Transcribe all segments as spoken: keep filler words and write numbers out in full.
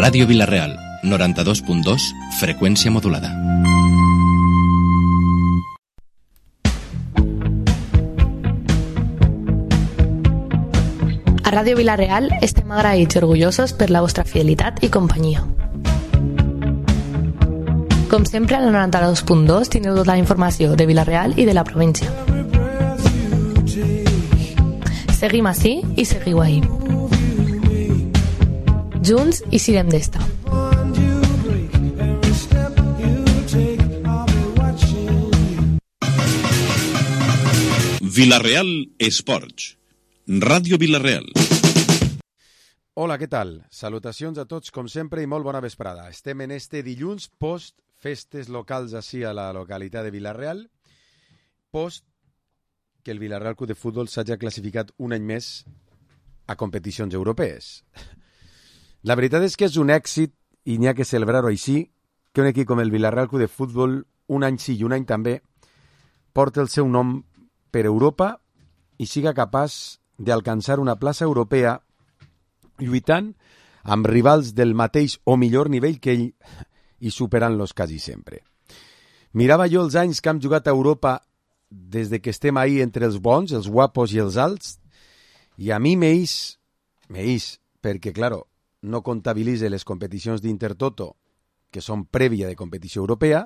Ràdio Vila-real, noranta-dos punt dos, freqüència modulada. A Ràdio Vila-real estem agraïts i orgullosos per la vostra fidelitat i companyia. Com sempre, al noranta-dos punt dos teniu tota la informació de Vila-real i de la província. Seguim ací i seguiu ahí. Junts i sirem d'esta. Vila-real Esports. Ràdio Vila-real. Hola, què tal? Salutacions a tots, com sempre, i molt bona vesprada. Estem en este dilluns post festes locals així a la localitat de Vila-real, post que el Vila-real Club de Futbol s'hagi classificat un any més a competicions europees. La veritat és que és un èxit, i n'hi ha que celebrar-ho així, que un equip com el Vila-real Club de Futbol, un any sí i un any també, porta el seu nom per Europa i siga capaç d'alcançar una plaça europea lluitant amb rivals del mateix o millor nivell que ell i superant-los quasi sempre. Mirava jo els anys que hem jugat a Europa des de que estem ahí entre els bons, els guapos i els alts, i a mi m'eix, m'eix, perquè, claro, no comptabilitze les competicions d'Intertoto, que són prèvia de competició europea,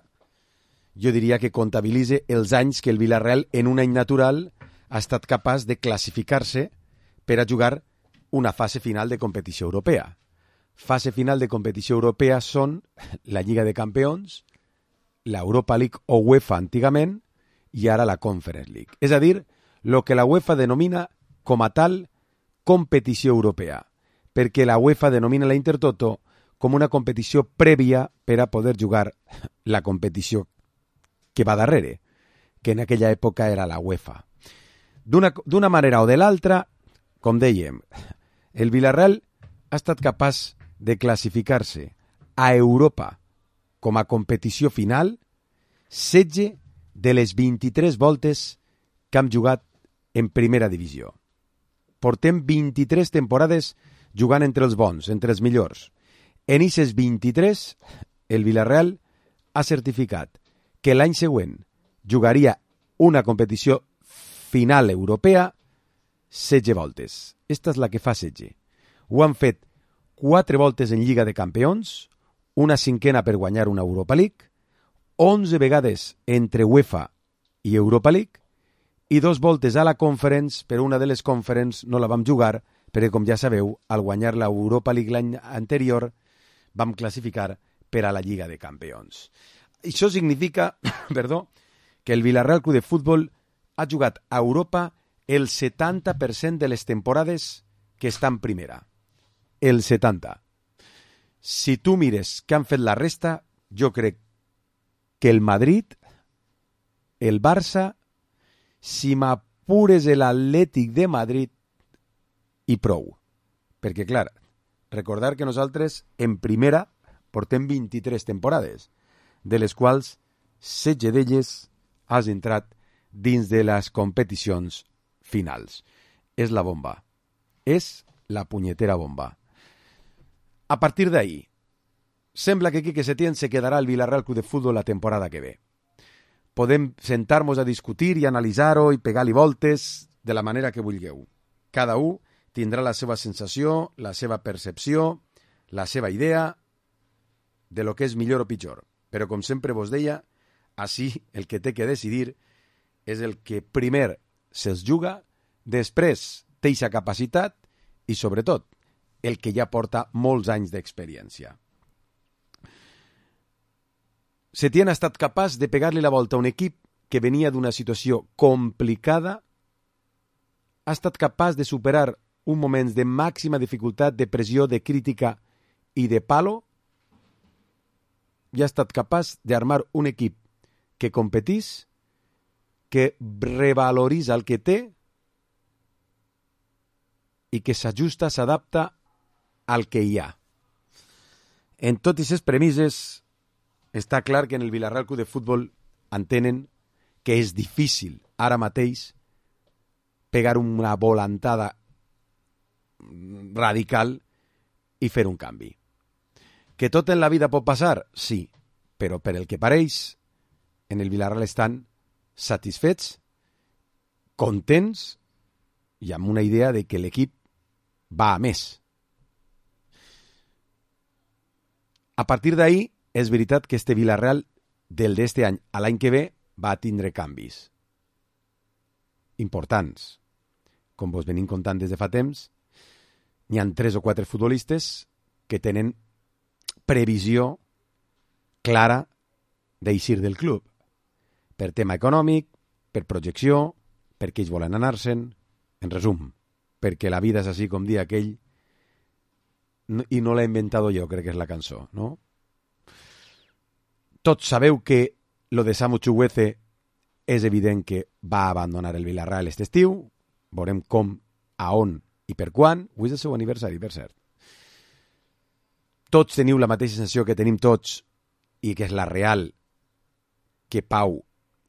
jo diria que comptabilitze els anys que el Vila-real en un any natural ha estat capaç de classificar-se per a jugar una fase final de competició europea. Fase final de competició europea són la Lliga de Campions, l'Europa League o UEFA antigament, i ara la Conference League. És a dir, el que la UEFA denomina com a tal competició europea, perquè la UEFA denomina la Intertoto com una competició prèvia per a poder jugar la competició que va darrere, que en aquella època era la UEFA. D'una, d'una manera o de l'altra, com dèiem, el Vila-real ha estat capaç de classificar-se a Europa com a competició final setze de les vint-i-tres voltes que hem jugat en primera divisió. Portem vint-i-tres temporades jugant entre els bons, entre els millors. En aquestes vint-i-tres, el Vila-real ha certificat que l'any següent jugaria una competició final europea setze voltes. Esta és la que fa setze. Ho han fet quatre voltes en Lliga de Campions, una cinquena per guanyar una Europa League, onze vegades entre UEFA i Europa League, i dos voltes a la Conference, però una de les Conference no la vam jugar, perquè, com ja sabeu, al guanyar la Europa League l'any anterior, vam classificar per a la Lliga de Campions. Això significa, perdó, que el Vila-real Club de Futbol ha jugat a Europa el setanta per cent de les temporades que està en primera. El setanta. Si tu mires què han fet la resta, jo crec que el Madrid, el Barça, si m'apures l'Atlètic de Madrid, i prou. Perquè, clar, recordar que nosaltres en primera portem vint-i-tres temporades, de les quals setze d'elles has entrat dins de les competicions finals. És la bomba. És la punyetera bomba. A partir d'ahí, sembla que Quique Setién se quedarà al Vila-real Club de Futbol la temporada que ve. Podem sentar-nos a discutir i analitzar-ho i pegar-li voltes de la manera que vulgueu. Cada un tindrà la seva sensació, la seva percepció, la seva idea de lo que és millor o pitjor. Però, com sempre vos deia, així el que té que decidir és el que primer se'ls juga, després té aquesta capacitat i, sobretot, el que ja porta molts anys d'experiència. Setién ha estat capaç de pegar-li la volta a un equip que venia d'una situació complicada, ha estat capaç de superar un moment de màxima dificultat, de pressió, de crítica i de palo, i ha estat capaç d'armar un equip que competís, que revaloritza el que té i que s'ajusta, s'adapta al que hi ha. En totes aquestes premisses està clar que en el Vila-real Club de Futbol entenen que és difícil ara mateix pegar una volantada radical i fer un canvi. Que tot en la vida pot passar? Sí, però per el que pareix, en el Villarreal estan satisfets, contents i amb una idea de que l'equip va a més. A partir d'ahí, és veritat que este Villarreal del d'este any a l'any que ve va tindre canvis importants. Com vos venim contant des de fa temps, n'hi ha tres o quatre futbolistes que tenen previsió clara d'eixir del club. Per tema econòmic, per projecció, perquè ells volen anar-se'n, en resum, perquè la vida és així com dia aquell, i no l'he inventat jo, crec que és la cançó, no? Tots sabeu que lo de Samu Chukwueze és evident que va abandonar el Villarreal aquest estiu, veurem com, a on i per quan, avui és el seu aniversari, per cert. Tots teniu la mateixa sensació que tenim tots, i que és la real, que Pau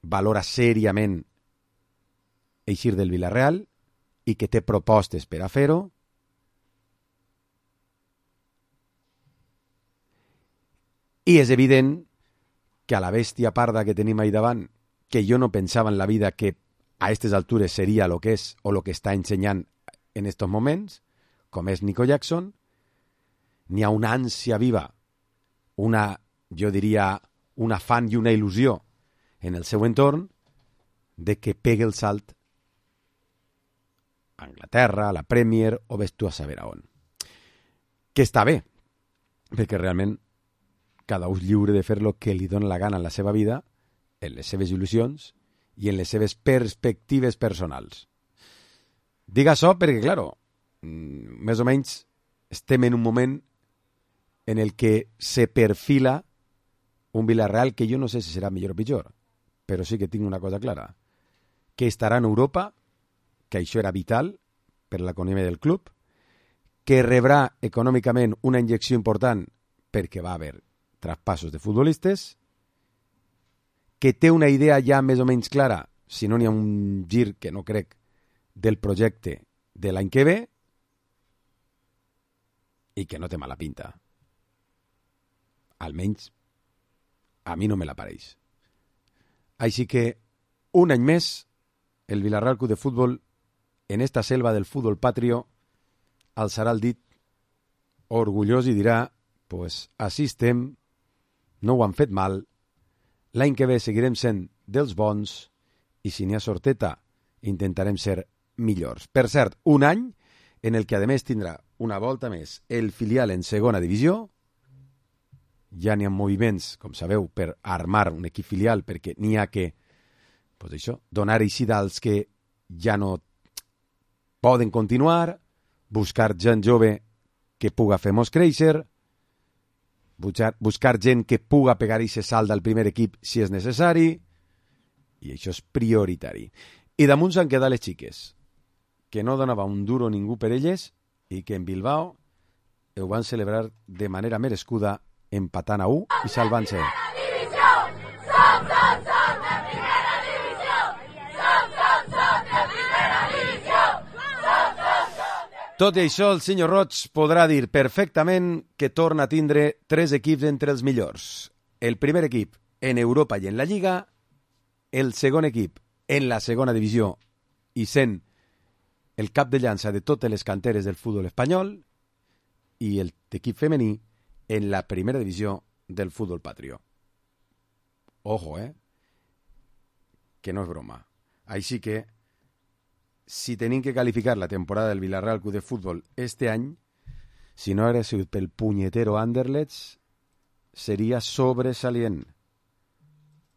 valora seriament eixir del Villarreal i que té propostes per a fer-ho. I és evident que a la bèstia parda que tenim ahí davant, que jo no pensava en la vida que a aquestes altures seria el que és o el que està ensenyant en estos moments, com és Nico Jackson, n'hi ha una ànsia viva, una, jo diria, un afany i una il·lusió en el seu entorn de que pegue el salt a Anglaterra, a la Premier, o ves tu a saber a on. Que està bé, perquè realment cada un lliure de fer el que li dona la gana en la seva vida, en les seves il·lusions i en les seves perspectives personals. Dic això perquè, claro, més o menys estem en un moment en el que se perfila un Villarreal que jo no sé si serà millor o pitjor, però sí que tinc una cosa clara, que estarà en Europa, que això era vital per l'economia del club, que rebrà econòmicament una injecció important perquè va haver traspassos de futbolistes, que té una idea ja més o menys clara, si no n'hi ha un gir que no crec, del projecte de l'any que ve, i que no té mala pinta. Almenys a mi no me l'apareix. Així que un any més el Villarreal Club de Futbol en esta selva del futbol patrio alçarà el dit orgullós i dirà pues així estem, no ho han fet mal, l'any que ve seguirem sent dels bons i si n'hi ha sorteta intentarem ser millors. Per cert, un any en el que a més tindrà una volta més el filial en segona divisió. Ja n'hi ha moviments, com sabeu, per armar un equip filial perquè n'hi ha que pues això, donar eixida als que ja no poden continuar, buscar gent jove que puga fer-nos créixer, buscar, buscar gent que puga pegar i se salt al primer equip si és necessari, i això és prioritari. I damunt s'han quedat les xiques, que no donava un duro ningú per elles i que en Bilbao ho van celebrar de manera merescuda empatant a u i salvant-se. Tot i això, el senyor Roig podrà dir perfectament que torna a tindre tres equips entre els millors. El primer equip en Europa i en la Lliga, el segon equip en la segona divisió i sent el cap de llança de totes les canteres del futbol espanyol i el equip femení en la primera divisió del futbol patrio. Ojo, eh? Que no és broma. Així que si tenim que calificar la temporada del Villarreal Club de Futbol este any, si no hagués sigut pel punyetero Anderlecht, seria sobresalient.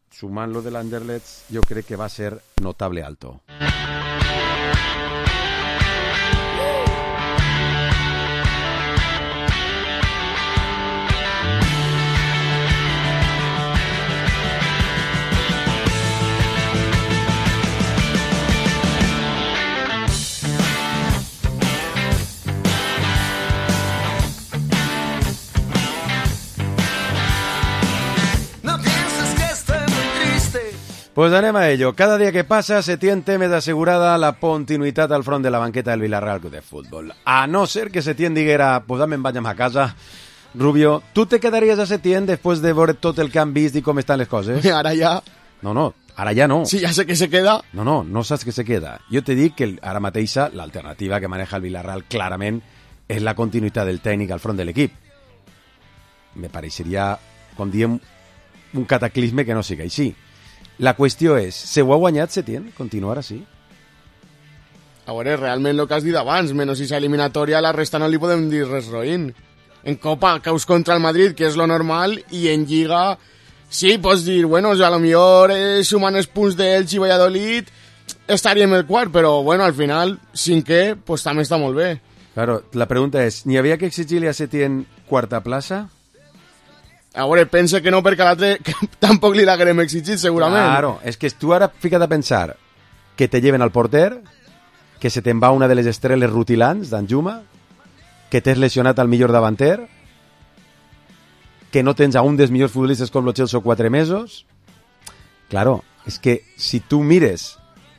Sumant lo de l'Anderlecht, jo crec que va ser notable alto. Pues anem a ello. Cada dia que passa se tiene més assegurada la continuïtat al front de la banqueta del Villarreal Club de Futbol. A no ser que se tiene diguera, pues dame me'n vaig a casa, Rubio, tu te quedaries a Setién després de veure tot el que han vist i com estan les coses? Ara ja... No, no, ara ja no. Sí, ja sé que se queda. No, no, no saps que se queda. Jo te dic que el, ara mateixa l'alternativa que maneja el Villarreal clarament és la continuïtat del tècnic al front de l'equip. Me pareixeria, com diem, un cataclisme que no sigui així. La qüestió és, se ho ha guanyat Setién? Continuar així? A veure, realment el que has dit abans, menys si s'eliminatòria, la resta no li podem dir res roïn. En Copa caus contra el Madrid, que és lo normal, i en Lliga, sí, pots dir, bueno, a lo millor eh, sumant els punts d'Elx i Valladolid estaríem el quart, però bueno, al final, cinquè, pues també està molt bé. Claro, la pregunta és, n'hi havia que exigir-li a Setién quarta plaça? A veure, pensa que no, perquè a l'altre tampoc li l'haguem exigit, segurament. Claro, és que tu ara fica't a pensar que te lleven al porter, que se te'n va una de les estrelles rutilants d'Anjuma, que t'has lesionat al millor davanter, que no tens a un dels millors futbolistes com lo Chelsea quatre mesos. Claro, és que si tu mires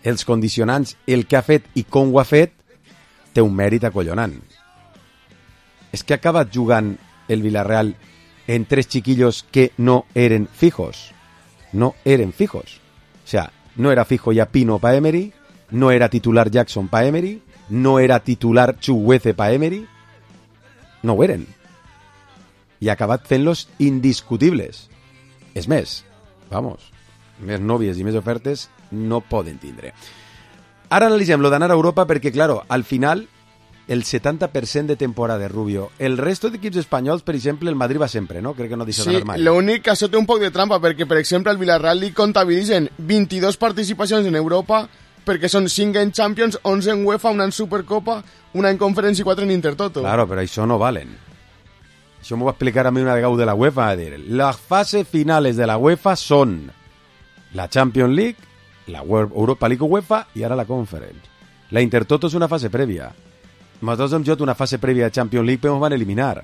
els condicionants, el que ha fet i com ho ha fet, té un mèrit acollonant. És que ha acabat jugant el Villarreal en tres chiquillos que no eren fijos. No eren fijos. O sea, no era fijo ya Pino pa Emery, no era titular Jackson pa Emery, no era titular Chukwueze pa Emery. No ho eren. I ha acabat fent-los indiscutibles. És més, vamos, més nòvies i més ofertes no poden tindre. Ara analitzem lo d'anar a Europa perquè, claro, al final el setanta per cent de temporada de Rubio. El resto d'equips espanyols, per exemple, el Madrid va sempre, no? Crec que no deixa sí, d'anar mai. Sí, l'únic que això té un poc de trampa, perquè, per exemple, al Villarreal li comptabilitzen vint-i-dos participacions en Europa, perquè són cinc en Champions, onze en UEFA, una en Supercopa, una en Conference i quatre en Intertoto. Claro, però això no valen. Això m'ho va explicar a mi una vegada de la UEFA, a dir, les fases finales de la UEFA són la Champions League, la Europa League UEFA i ara la Conference. La Intertoto és una fase prèvia. Nosaltres hem jugat una fase prèvia de Champions League però ens van eliminar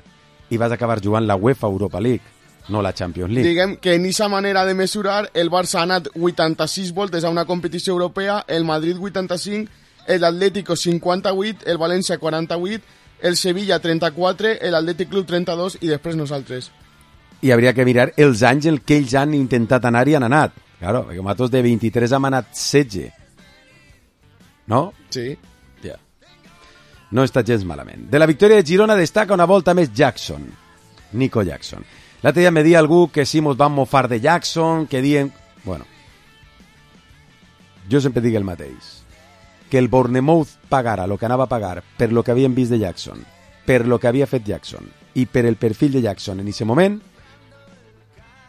i vas acabar jugant la UEFA Europa League, no la Champions League. Diguem que en aquesta manera de mesurar el Barça ha anat vuitanta-sis voltes a una competició europea, el Madrid vuitanta-cinc, l'Atlético cinquanta-vuit, el València quaranta-vuit, el Sevilla trenta-quatre, l'Atlètic Club trenta-dos i després nosaltres. I hauria que mirar els anys en què ells han intentat anar i han anat. Claro, perquè nosaltres de vint-i-tres hem anat setze. No? Sí. Ja. No està gens malament. De la victòria de Girona destaca una volta més Jackson. Nico Jackson. L'altre dia me dia algú que sí mos van mofar de Jackson, que dient... Bueno, jo sempre dic el mateix. Que el Bournemouth pagara el que anava a pagar per lo que havien vist de Jackson, per lo que havia fet Jackson i per el perfil de Jackson en aquest moment,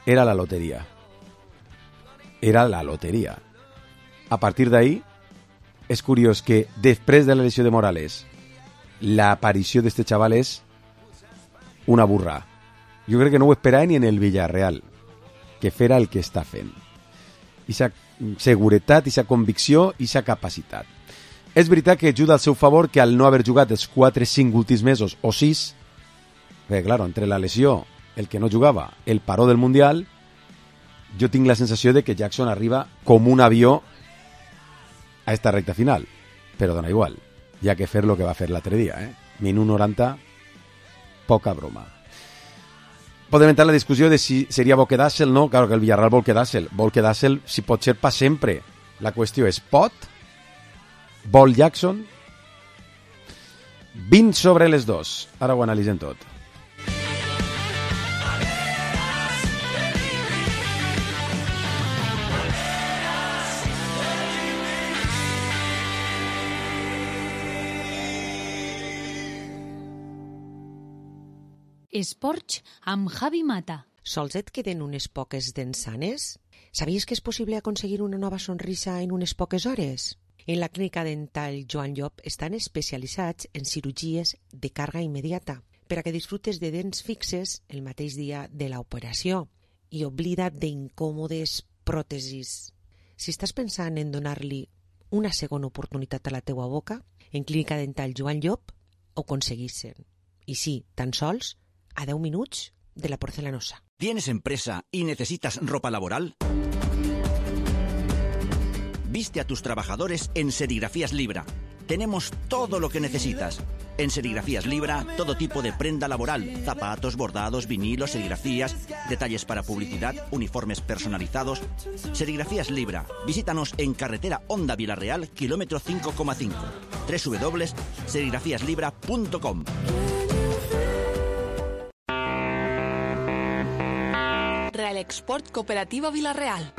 era la loteria. Era la loteria. A partir d'ahí, és curiós que després de la lesió de Morales, l'aparició d'este xaval és una burra. Jo crec que no ho esperava ni en el Villarreal, que fera el que està fent. Ixa seguretat, ixa convicció, ixa capacitat. És veritat que ajuda al seu favor que al no haver jugat els quatre cinc últims mesos o sis, perquè, clar, entre la lesió, el que no jugava, el paró del Mundial, jo tinc la sensació de que Jackson arriba com un avió a esta recta final. Però dona igual, hi ha que fer lo que va fer l'altre dia, eh? Minut noranta, poca broma. Podem entrar en la discussió de si seria bo quedar-se'l, no? Claro que el Villarreal vol quedar-se'l. Vol quedar-se'l, si pot ser, pa sempre. La qüestió és, pot? Vol Jackson? vint sobre les dos. Ara ho analitzem tot. Esports amb Javi Mata. Sols et queden unes poques dents sanes? Sabies que és possible aconseguir una nova sonrisa en unes poques hores? En la clínica dental Joan Llop estan especialitzats en cirurgies de càrrega immediata per a que disfrutes de dents fixes el mateix dia de l'operació i oblida't d'incòmodes pròtesis. Si estàs pensant en donar-li una segona oportunitat a la teua boca, en clínica dental Joan Llop ho aconseguissin. I sí, tan sols a deu minuts de la porcelanosa. ¿Tienes empresa y necesitas ropa laboral? Viste a tus trabajadores en Serigrafías Libra. tenemos todo lo que necesitas. En Serigrafías Libra, todo tipo de prenda laboral, zapatos, bordados, vinilos, serigrafías, detalles para publicidad, uniformes personalizados. Serigrafías Libra. Visítanos en carretera Honda Vilarreal, kilómetro cinco coma cinco. doble u doble u doble u punto serigrafías libra punto com. Real Export Cooperativa Vilarreal.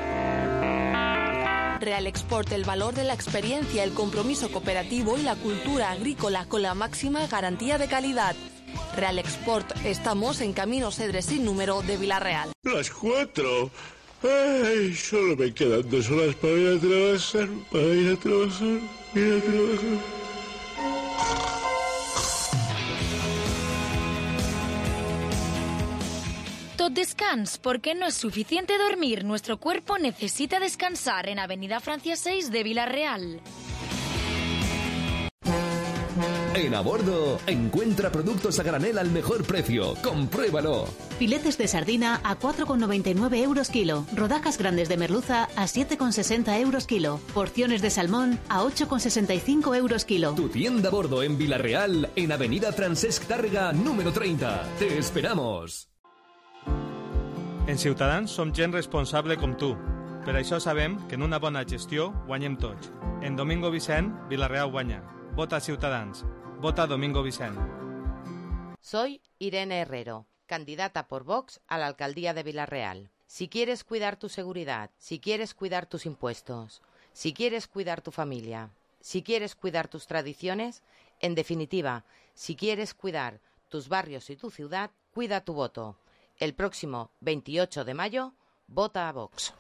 Real Export, el valor de la experiencia, el compromiso cooperativo y la cultura agrícola con la máxima garantía de calidad. Real Export, estamos en Camino Cedres sin número de Vilarreal. Las cuatro. Ay, solo me quedan dos horas para ir a trabajar, para ir a trabajar, ir a trabajar. Tot descans, porque no es suficiente dormir. Nuestro cuerpo necesita descansar en Avenida Francia seis de Vilarreal. En A Bordo, encuentra productos a granel al mejor precio. ¡Compruébalo! Filetes de sardina a cuatro con noventa y nueve euros kilo. Rodajas grandes de merluza a siete con sesenta euros kilo. Porciones de salmón a ocho con sesenta y cinco euros kilo. Tu tienda A Bordo en Vilarreal, en Avenida Francesc Tàrrega, número treinta. ¡Te esperamos! En Ciutadans som gent responsable com tu. Per això sabem que en una bona gestió guanyem tots. En Domingo Vicent, Vilarreal guanya. Vota Ciutadans. Vota Domingo Vicent. Soy Irene Herrero, candidata por Vox a la alcaldía de Vilarreal. Si quieres cuidar tu seguridad, si quieres cuidar tus impuestos, si quieres cuidar tu familia, si quieres cuidar tus tradiciones, en definitiva, si quieres cuidar tus barrios y tu ciudad, cuida tu voto. El próximo veintiocho de mayo, vota a Vox.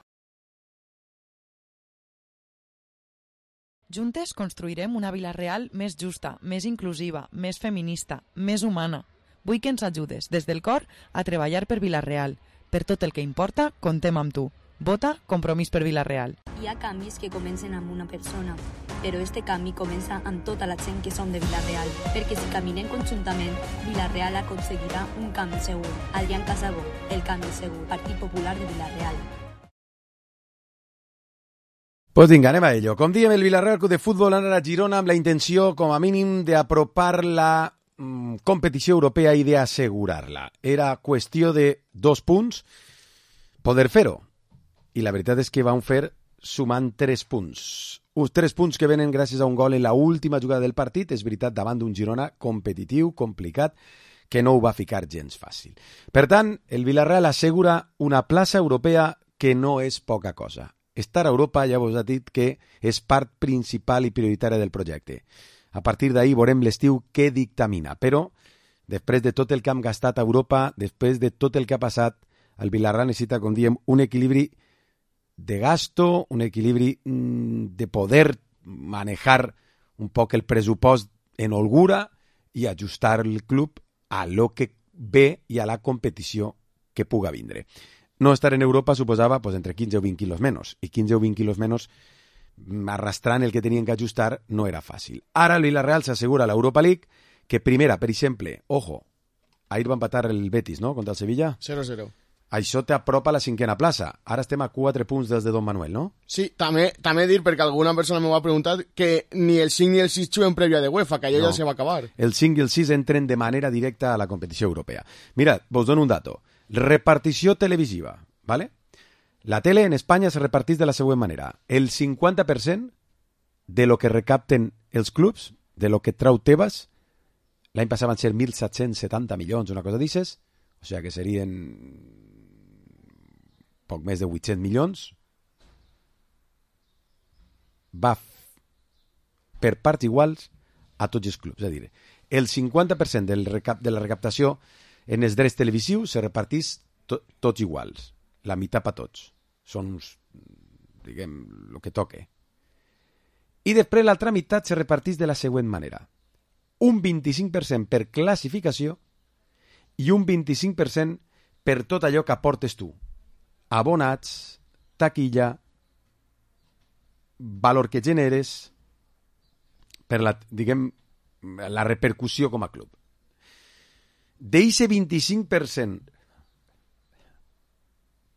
Juntes construirem una Vilarreal més justa, més inclusiva, més feminista, més humana. Vull que ens ajudes, des del cor, a treballar per Vilarreal. Per tot el que importa, contem amb tu. Vota Compromís per Vilarreal. Hi ha canvis que comencen amb una persona, però este canvi comença amb tota la gent que som de Vilarreal, perquè si caminem conjuntament, Vilarreal aconseguirà un canvi segur. Adrián Casabó, El Canvi Segur, Partit Popular de Vilarreal. Pues vinga, anem a ello. Com diem, el Vilarreal Club de Futbol anarà a Girona amb la intenció, com a mínim, d'apropar la mm, competició europea i d'assegurar-la. Era qüestió de dos punts poder fer-ho. I la veritat és que van fer sumant tres punts. Uns tres punts que venen gràcies a un gol en la última jugada del partit, és veritat, davant d'un Girona competitiu, complicat, que no ho va ficar gens fàcil. Per tant, el Vilarreal assegura una plaça europea que no és poca cosa. Estar a Europa ja vos ha dit que és part principal i prioritària del projecte. A partir d'ahir veurem l'estiu què dictamina, però després de tot el que hem gastat a Europa, després de tot el que ha passat, el Vilarreal necessita, com diem, un equilibri de gasto, un equilibri mmm, de poder manejar un poc el pressupost en holgura i ajustar el club a lo que ve i a la competició que puga vindre. No estar en Europa suposava pues, entre quinze o vint quilos menys, i quinze o vint quilos menys arrastrant el que tenien que ajustar no era fàcil. Ara el Villarreal s'assegura l'Europa League, que primera, per exemple, ojo, ahir va empatar el Betis, no?, contra el Sevilla. cero cero. Això t'apropa a la cinquena plaça. Ara estem a quatre punts des de Don Manuel, no? Sí, també, també dir, perquè alguna persona m'ho va preguntar, que ni el cinc ni el sis juguen prèvia de UEFA, que allò no. Ja se va acabar. El cinc i el sis entren de manera directa a la competició europea. Mirad, vos dono un dato. Repartició televisiva, ¿vale? La tele en Espanya se repartís de la següent manera. El cinquanta per cent de lo que recapten els clubs, de lo que trau Tebas, l'any passat van ser mil set-cents setanta milions, una cosa d'ixes, o sigui que serien poc més de vuit-cents milions, va per parts iguals a tots els clubs. És a dir, el cinquanta per cent del recap de la recaptació en els drets televisius se repartís to tots iguals, la meitat per tots. Són uns, diguem, el que toque. I després l'altra meitat se repartís de la següent manera. Un vint-i-cinc per cent per classificació i un vint-i-cinc per cent per tot allò que aportes tu. Abonats, taquilla, valor que generes, per la, diguem, la repercussió com a club. D'eixe vint-i-cinc per cent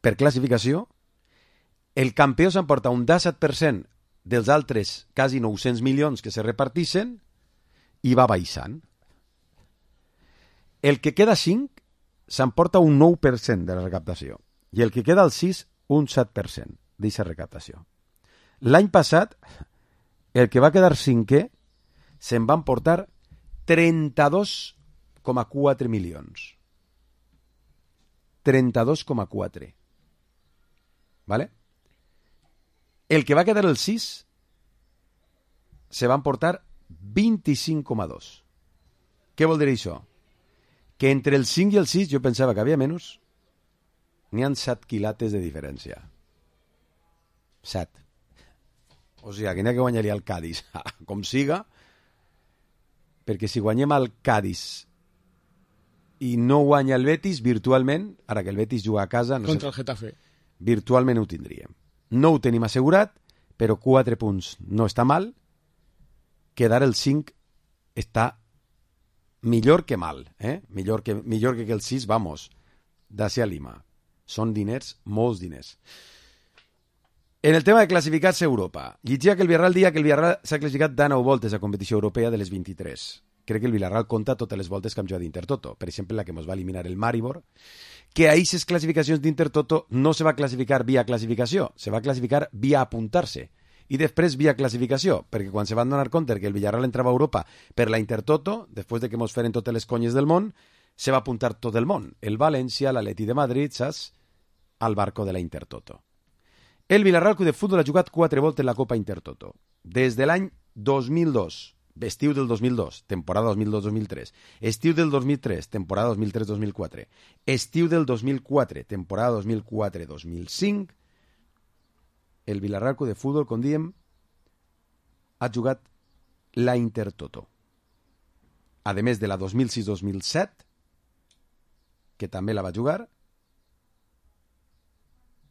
per classificació, el campió s'emporta un disset per cent dels altres quasi nou-cents milions que se repartixen i va baixant. El que queda cinc s'emporta un nou per cent de la recaptació i el que queda al sis un set per cent d'aquesta recaptació. L'any passat, el que va quedar cinquè se'n van portar trenta-dos coma quatre milions. trenta-dos coma quatre. ¿Vale? El que va quedar el sis se van portar vint-i-cinc coma dos. Què vol dir això? Que entre el cinc i el sis jo pensava que havia menys. N'hi ha set quilates de diferència. set. O sigui, que n'hi ha que guanyaria el Cádiz, com siga, perquè si guanyem el Cádiz i no guanya el Betis, virtualment, ara que el Betis juga a casa... No Contra sé, el Getafe. Virtualment ho tindríem. No ho tenim assegurat, però quatre punts no està mal. Quedar el cinc està millor que mal, eh? Millor que, millor que el sis, vamos, d'ací a Lima. Són diners, molts diners. En el tema de classificar-se a Europa, llegia que el Villarreal dia que el Villarreal s'ha classificat de nou voltes a competició europea de les vint-i-tres. Crec que el Villarreal compta totes les voltes que hem jugat d'Intertoto. Per exemple, la que ens va eliminar el Maribor, que a aquestes classificacions d'Intertoto no se va classificar via classificació, se va classificar via apuntar-se i després via classificació, perquè quan se van donar compte que el Villarreal entrava a Europa per la Intertoto, després de que mos feren totes les conyes del món, se va apuntar tot el món. El València, l'Atleti de Madrid, saps? Al barco de la Intertoto. El Villarreal Club de Futbol ha jugat quatre voltes en la Copa Intertoto. Des de l'any dos mil dos, estiu del dos mil dos, temporada dos mil dos dos mil tres, estiu del dos mil tres, temporada dos mil tres dos mil quatre, estiu del dos mil quatre, temporada dos mil quatre dos mil cinc, el Villarreal Club de Futbol, com diem, ha jugat la Intertoto. A més de la dos mil sis dos mil set, que també la va jugar,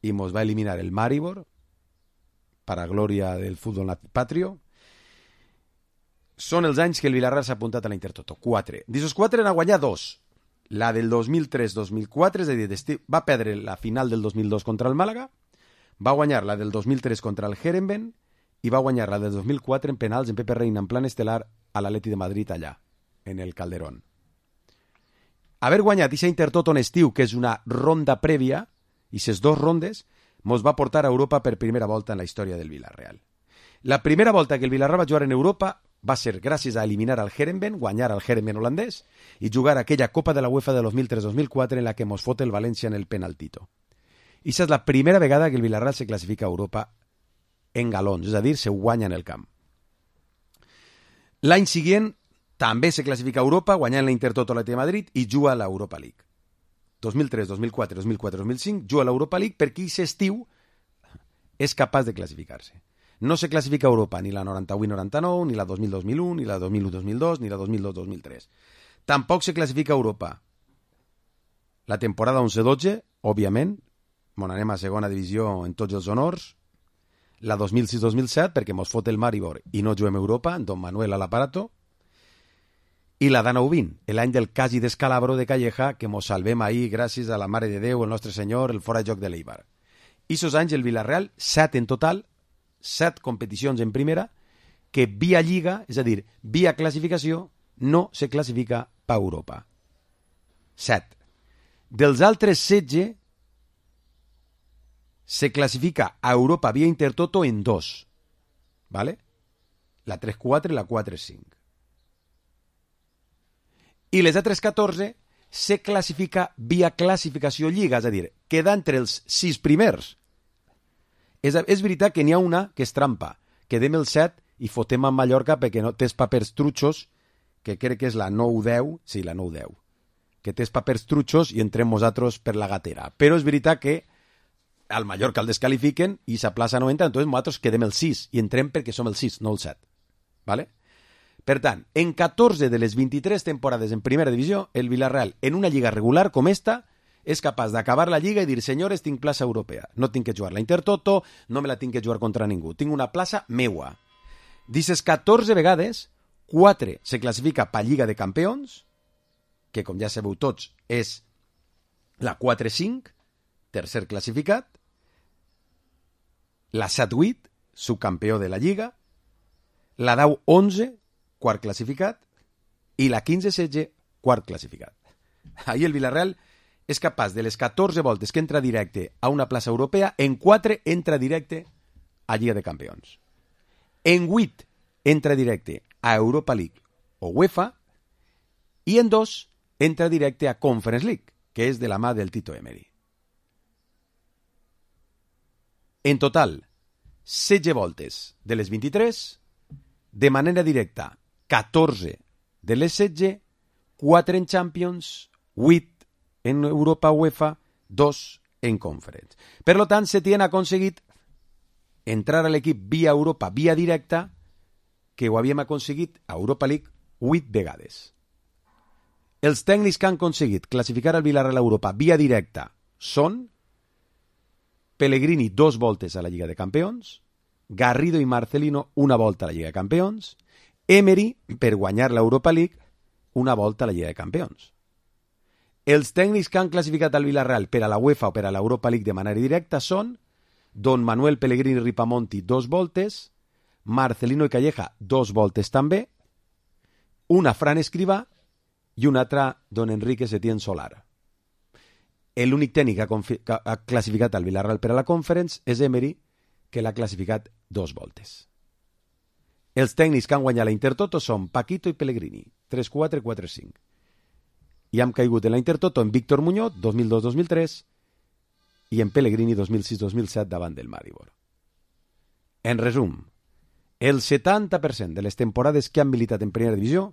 i mos va eliminar el Maribor, para glòria del futbol patrio. Són els anys que el Villarreal s'ha apuntat a la Intertoto. Quatre. D'aquests quatre n'ha guanyat dos. La del dos mil tres dos mil quatre, és a dir, va perdre la final del dos mil dos contra el Màlaga, va guanyar la del dos mil tres contra el Herenveen i va guanyar la del dos mil quatre en penals en Pepe Reina en plan estel·lar a l'Atleti de Madrid allà, en el Calderón. Haver guanyat aquesta Intertoto en estiu, que és una ronda prèvia, i ses dos rondes, mos va portar a Europa per primera volta en la història del Villarreal. La primera volta que el Villarreal va jugar en Europa va ser gràcies a eliminar al Herenveen, guanyar al Herenveen holandès i jugar aquella Copa de la UEFA de dos mil tres dos mil quatre en la que mos fot el València en el penaltito. I és la primera vegada que el Villarreal se classifica a Europa en galons, és a dir, se guanya en el camp. L'any següent també se classifica a Europa, guanyant la Intertoto a l'Atleti de Madrid i juga a l'Europa League. dos mil tres, dos mil quatre, dos mil quatre, dos mil cinc, juga a l'Europa League perquè aquest estiu és capaç de classificar-se. No se classifica a Europa ni la noranta-vuit noranta-nou, ni la dos mil dos mil u, ni la dos mil u dos mil dos, ni la dos mil dos dos mil tres. Tampoc se classifica a Europa la temporada onze dotze, òbviament, on anem a segona divisió en tots els honors, la dos mil sis dos mil set, perquè mos fot el Maribor i no juguem a Europa, en Don Manuel a l'aparato, i la d'Anou vint, l'any del quasi descalabro de Calleja, que mos salvem ahir gràcies a la Mare de Déu, el Nostre Senyor, el fora de joc de l'Eibar. I sos anys el Villarreal, set en total, set competicions en primera, que via Lliga, és a dir, via classificació, no se classifica per Europa. Set. Dels altres setze, se classifica a Europa via Intertoto en dos. ¿Vale? La tres quatre i la quatre cinc. I les altres catorze se classifica via classificació Lliga, és a dir, queda entre els sis primers. És, és veritat que n'hi ha una que és trampa. Quedem el set i fotem a Mallorca perquè no tens papers trutxos, que crec que és la nou deu, sí, la nou deu, que tens papers trutxos i entrem nosaltres per la gatera. Però és veritat que al Mallorca el descalifiquen i sa plaça no entra, entonces nosaltres quedem el sis i entrem perquè som el sis, no el set. ¿Vale? Per tant, en catorze de les vint-i-tres temporades en primera divisió, el Villarreal, en una lliga regular com esta, és capaç d'acabar la lliga i dir, senyores, tinc plaça europea. No tinc que jugar la Intertoto, no me la tinc que jugar contra ningú. Tinc una plaça meua. D'aquestes catorze vegades, quatre se classifica per Lliga de Campions, que, com ja sabeu tots, és la quatre cinc, tercer classificat, la set vuit, subcampió de la Lliga, la deu onze, quart classificat, i la quinze setze, quart classificat. Ahir el Villarreal és capaç de les catorze voltes que entra directe a una plaça europea, en quatre entra directe a Lliga de Campions. En vuit entra directe a Europa League o UEFA, i en dos entra directe a Conference League, que és de la mà del Tito Emery. En total, setze voltes de les vint-i-tres, de manera directa, catorze de les setze, quatre en Champions, vuit en Europa UEFA, dos en Conference. Per lo tant, Setién ha aconseguit entrar a l'equip via Europa, via directa, que ho havíem aconseguit a Europa League vuit vegades. Els tècnics que han aconseguit classificar el Villarreal a Europa via directa són Pellegrini dos voltes a la Lliga de Campions, Garrido i Marcelino una volta a la Lliga de Campions, Emery, per guanyar l'Europa League, una volta a la Lliga de Campions. Els tècnics que han classificat el Villarreal per a la UEFA o per a l'Europa League de manera directa són Don Manuel Pellegrini Ripamonti dos voltes, Marcelino i Calleja dos voltes també, una Fran Escrivà i una altra Don Enrique Setién Solar. L'únic tècnic que ha, que ha classificat el Villarreal per a la Conference és Emery, que l'ha classificat dos voltes. Els tècnics que han guanyat la Intertoto són Paquito i Pellegrini, tres quatre quatre cinc. I hem caigut en la Intertoto en Víctor Muñoz, dos mil dos dos mil tres, i en Pellegrini dos mil sis dos mil set davant del Maribor. En resum, el setanta per cent de les temporades que han militat en primera divisió,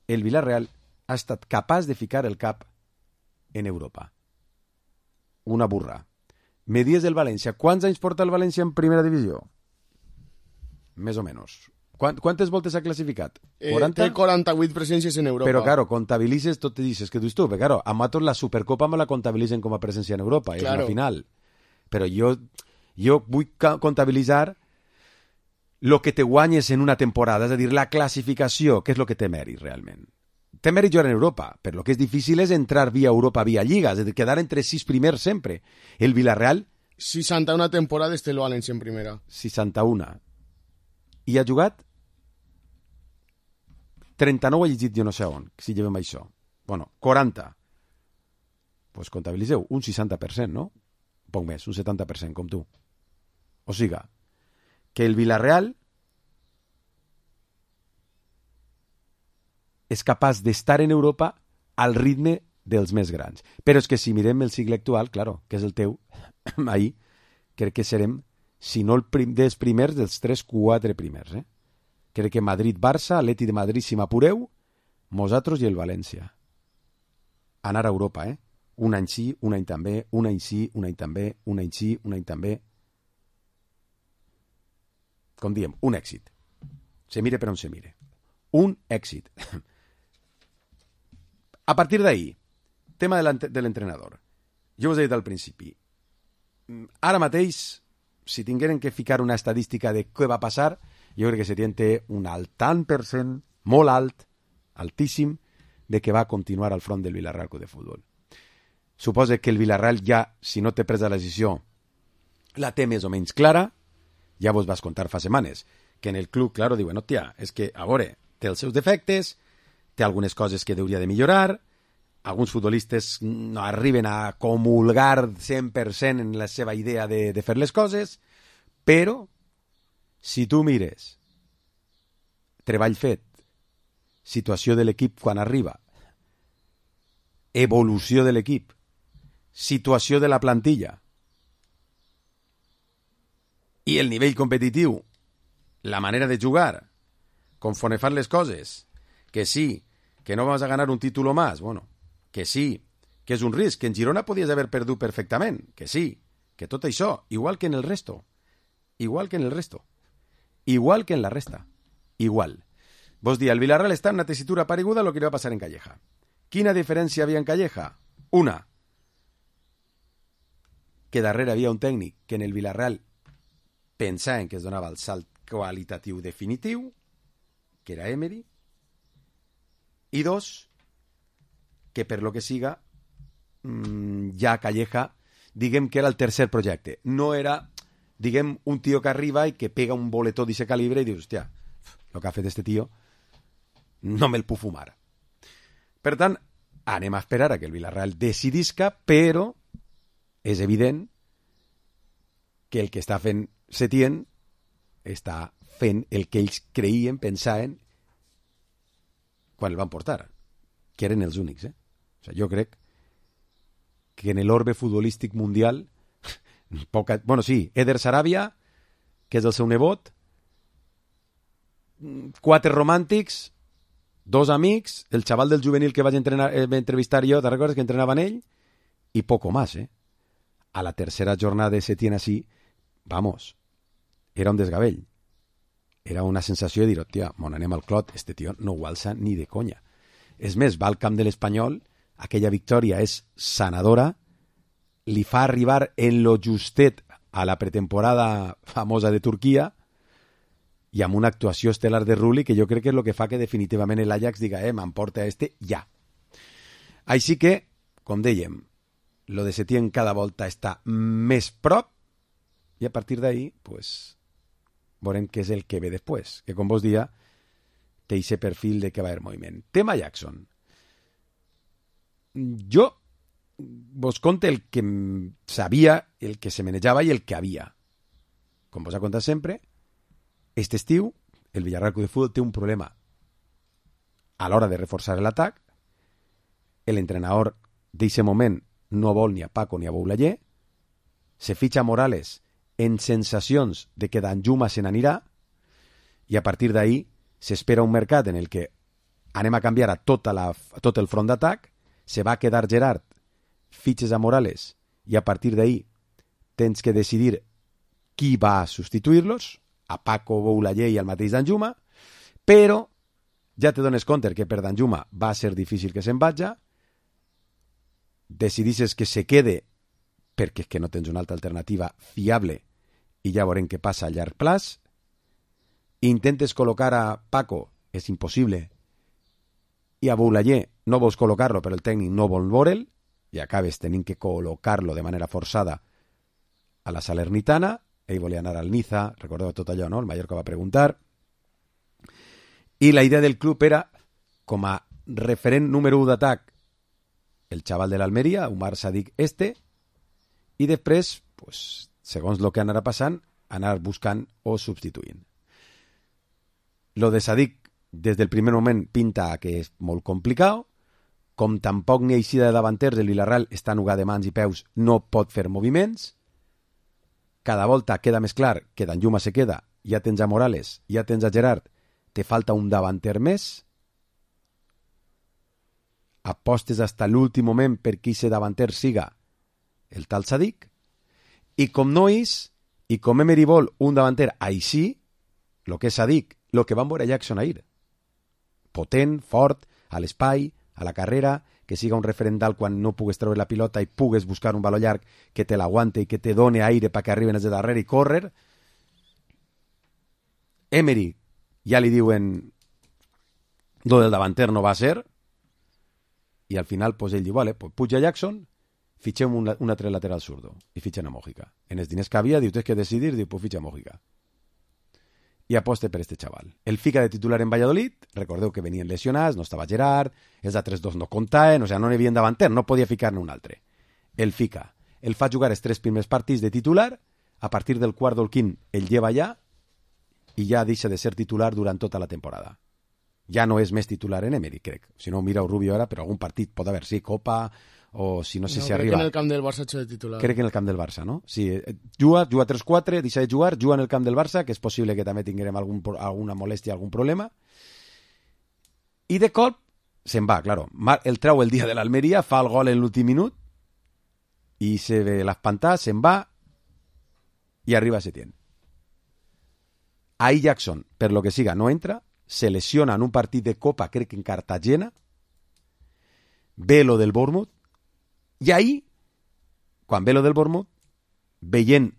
el Villarreal ha estat capaç de ficar el cap en Europa. Una burra. Me dies del València. Quants anys porta el València en primera divisió? Més o menys. Quant, quantes voltes ha classificat? quaranta? Eh, té quaranta-vuit presències en Europa. Però, claro, comptabilitzes, tot te dices que dius tu, perquè, claro, a Matos la Supercopa me la comptabilitzen com a presència en Europa, claro. És una final. Però jo, jo vull comptabilitzar el que te guanyes en una temporada, és a dir, la classificació, que és el que té mèrit, realment. Té mèrit jugar en Europa, però el que és difícil és entrar via Europa, via Lliga, és a dir, quedar entre sis primers sempre. El Villarreal... seixanta-una temporades té el València en primera. seixanta-una. I ha jugat trenta-nou, ha llegit jo no sé on, si llevem això. Bueno, quaranta. Doncs pues comptabilitzeu, un seixanta per cent, no? Un poc més, un setanta per cent, com tu. O siga, que el Villarreal és capaç d'estar en Europa al ritme dels més grans. Però és que si mirem el cicle actual, claro, que és el teu, ahir crec que serem, si no el prim, dels primers, dels tres quatre primers. Eh? Crec que Madrid-Barça, Atleti de Madrid, si m'apureu, nosaltres i el València. Anar a Europa, eh? Un any sí, un any també, un any sí, un any també, un any sí, un any també. Com diem, un èxit. Se mire per on se mire. Un èxit. A partir d'ahí, tema de l'entrenador. Jo us he dit al principi, ara mateix, si tingueren que ficar una estadística de què va passar, jo crec que Setién té un alt tant per cent, molt alt, altíssim, de que va continuar al front del Villarreal Club de Futbol. Suposa que el Villarreal ja, si no té presa la decisió, la té més o menys clara, ja vos vas contar fa setmanes, que en el club, claro, diuen, hòstia, és que, a veure, té els seus defectes, té algunes coses que hauria de millorar, alguns futbolistes no arriben a comulgar cent per cent en la seva idea de, de fer les coses, però si tu mires treball fet, situació de l'equip quan arriba, evolució de l'equip, situació de la plantilla i el nivell competitiu, la manera de jugar, conforme fan les coses, que sí, que no vas a ganar un título más, bueno, que sí, que és un risc, que en Girona podies haver perdut perfectament, que sí, que tot això, igual que en el resto, igual que en el resto, igual que en la resta, igual. Vos dir, el Villarreal està en una tessitura pareguda a lo que li va passar en Calleja. Quina diferència havia en Calleja? Una, que darrere havia un tècnic que en el Villarreal pensaven que es donava el salt qualitatiu definitiu, que era Emery, i dos, que per lo que siga, ja Calleja, diguem que era el tercer projecte. No era diguem, un tio que arriba i que pega un boletó d'aquest calibre i dius, hòstia, el que ha fet este tio no me'l puc fumar. Per tant, anem a esperar a que el Villarreal decidisca, però és evident que el que està fent Setién està fent el que ells creien, pensaven, quan el van portar, que eren els únics. Eh? O sigui, jo crec que en l'orbe futbolístic mundial, poca... bueno, sí, Eder Sarabia, que és el seu nebot, quatre romàntics, dos amics, el xaval del juvenil que vaig entrenar, eh, entrevistar jo, te recordes que entrenava en ell? I poco más, eh? A la tercera jornada de Setién así, vamos, era un desgavell. Era una sensació de dir, hòstia, mon anem al clot, este tio no ho alça ni de conya. És més, va al camp de l'Espanyol, aquella victòria és sanadora, li fa arribar en lo justet a la pretemporada famosa de Turquia i amb una actuació estel·lar de Rulli que jo crec que és el que fa que definitivament l'Ajax diga, eh, m'emporta este ja. Així que, com dèiem, lo de Setién cada volta està més prop i a partir d'ahí, pues, veurem què és el que ve després, que com vos dia té aquest perfil de que va haver moviment. Tema Jackson. Jo vos conte el que sabia, el que se manejava i el que havia. Com vos ha contat sempre, este estiu el Villarreal Club de Futbol té un problema a l'hora de reforçar l'atac. L'entrenador d'aquest moment no vol ni a Paco ni a Boulaye, se fitxa Morales en sensacions de que Danjuma se n'anirà i a partir d'ahí s'espera un mercat en el que anem a canviar a, tota la, a tot el front d'atac, se va quedar Gerard, fitxes a Morales i a partir d'ahí tens que decidir qui va a substituir-los, a Paco, Boulaye i al mateix Danjuma, però ja te dones compte que per Danjuma va ser difícil que se'n vagi, decidisses que se quede perquè és que no tens una altra alternativa fiable i ja veurem què passa a llarg plaç. Intentes col·locar a Paco, és impossible, i a Boulaye no vols col·locar-lo però el tècnic no vol veure'l i acabes tenint que col·locar-lo de manera forçada a la Salernitana. Ell volia anar al Niza, recordeu tot allò, no? El Mallorca va preguntar i la idea del club era com a referent número u d'atac el xaval de l'Almeria, Umar Sadik este, i després, pues, segons el que anarà passant, anar buscant o substituint. Lo de Sadik, des del primer moment, pinta que és molt complicat, com tampoc ni eixida de davanters, el Villarreal està nugat de mans i peus, no pot fer moviments, cada volta queda més clar que Danjuma se queda, ja tens a Morales, ja tens a Gerard, te falta un davanter més, apostes hasta l'últim moment perquè aquest davanter siga el tal Sadik, i com no és, i com Emery vol un davanter així, el que és Sadik, el que van veure Jackson ahir, potent, fort, a l'espai, a la carrera, que siga un referendal quan no pugues treure la pilota i pugues buscar un baló llarg que te l'aguante i que te done aire perquè arriben els de darrere i córrer. Emery ja li diuen lo del davanter no va ser i al final pues, ell diu, vale, pues, puja Jackson, fitxem un, un altre lateral zurdo i fitxen a Mójica. En els diners que havia, diu, tens que decidir, diu, pues fitxa a Mójica. I aposte per este xaval. El fica de titular en Valladolid, recordeu que venien lesionats, no estava Gerard, els altres dos no comptaven, o sigui, no n'hi havia davanter, no podia ficar-ne un altre. El fica, el fa jugar els tres primers partits de titular, a partir del quart o el quint el lleva ja i ja deixa de ser titular durant tota la temporada. Ja no és més titular en Emery, crec. Si no, mira Rubio ara, però algun partit pot haver, sí, Copa, o si no sé no, si crec arriba... que en el camp del Barça de titular. Crec que en el camp del Barça, no? Sí, juga, juga tres quatre, deixa de jugar, juga en el camp del Barça, que és possible que també tinguem algun, alguna molèstia, algun problema. I de cop se'n va, claro. El treu el dia de l'Almeria, fa el gol en l'últim minut, i se ve l'espantar, se'n va, i arriba Setién. Ahí Jackson, per lo que siga, no entra, se lesiona en un partit de Copa, crec que en Cartagena, ve lo del Bournemouth, i ahí, quan ve lo del Bournemouth, veient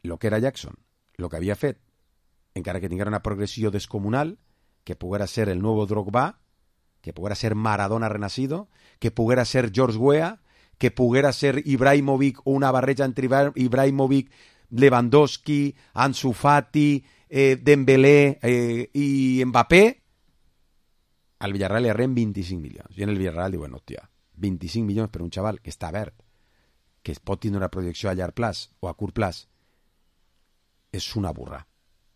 lo que era Jackson, lo que havia fet, encara que tinguera una progressió descomunal, que poguera ser el nuevo Drogba, que poguera ser Maradona renacido, que poguera ser George Weah, que poguera ser Ibrahimovic o una barreja entre Ibrahimovic, Lewandowski, Ansu Fati, eh, Dembélé eh, i Mbappé, al Villarreal li arren vint-i-cinc milions. I en el Villarreal diuen, hòstia, vint-i-cinc milions per un xaval que està verd, que es pot tindre una projecció a llarg plaç o a curt plaç, és una burra.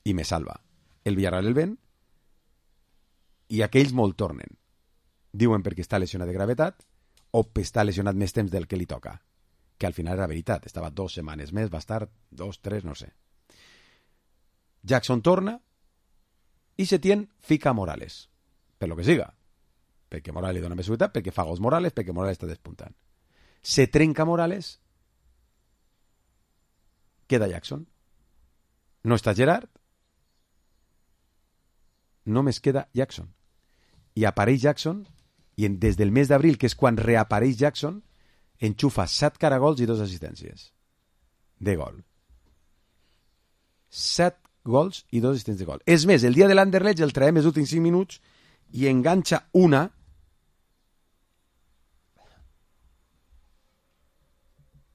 I me salva. El Villarreal el ven i aquells molt tornen. Diuen perquè està lesionat de gravetat o perquè està lesionat més temps del que li toca. Que al final era veritat. Estava dos setmanes més, va estar dos, tres, no sé. Jackson torna i Setién fica Morales. Per lo que siga. Perquè Morales li dona més seguretat, perquè fa gols Morales, perquè Morales està despuntant. Se trenca Morales, queda Jackson. No està Gerard, només queda Jackson. I apareix Jackson, i en, des del mes d'abril, que és quan reapareix Jackson, enxufa set caragols i dos assistències de gol. Set gols i dos assistències de gol. És més, el dia de l'Anderlecht el traiem els últims cinc minuts i enganxa una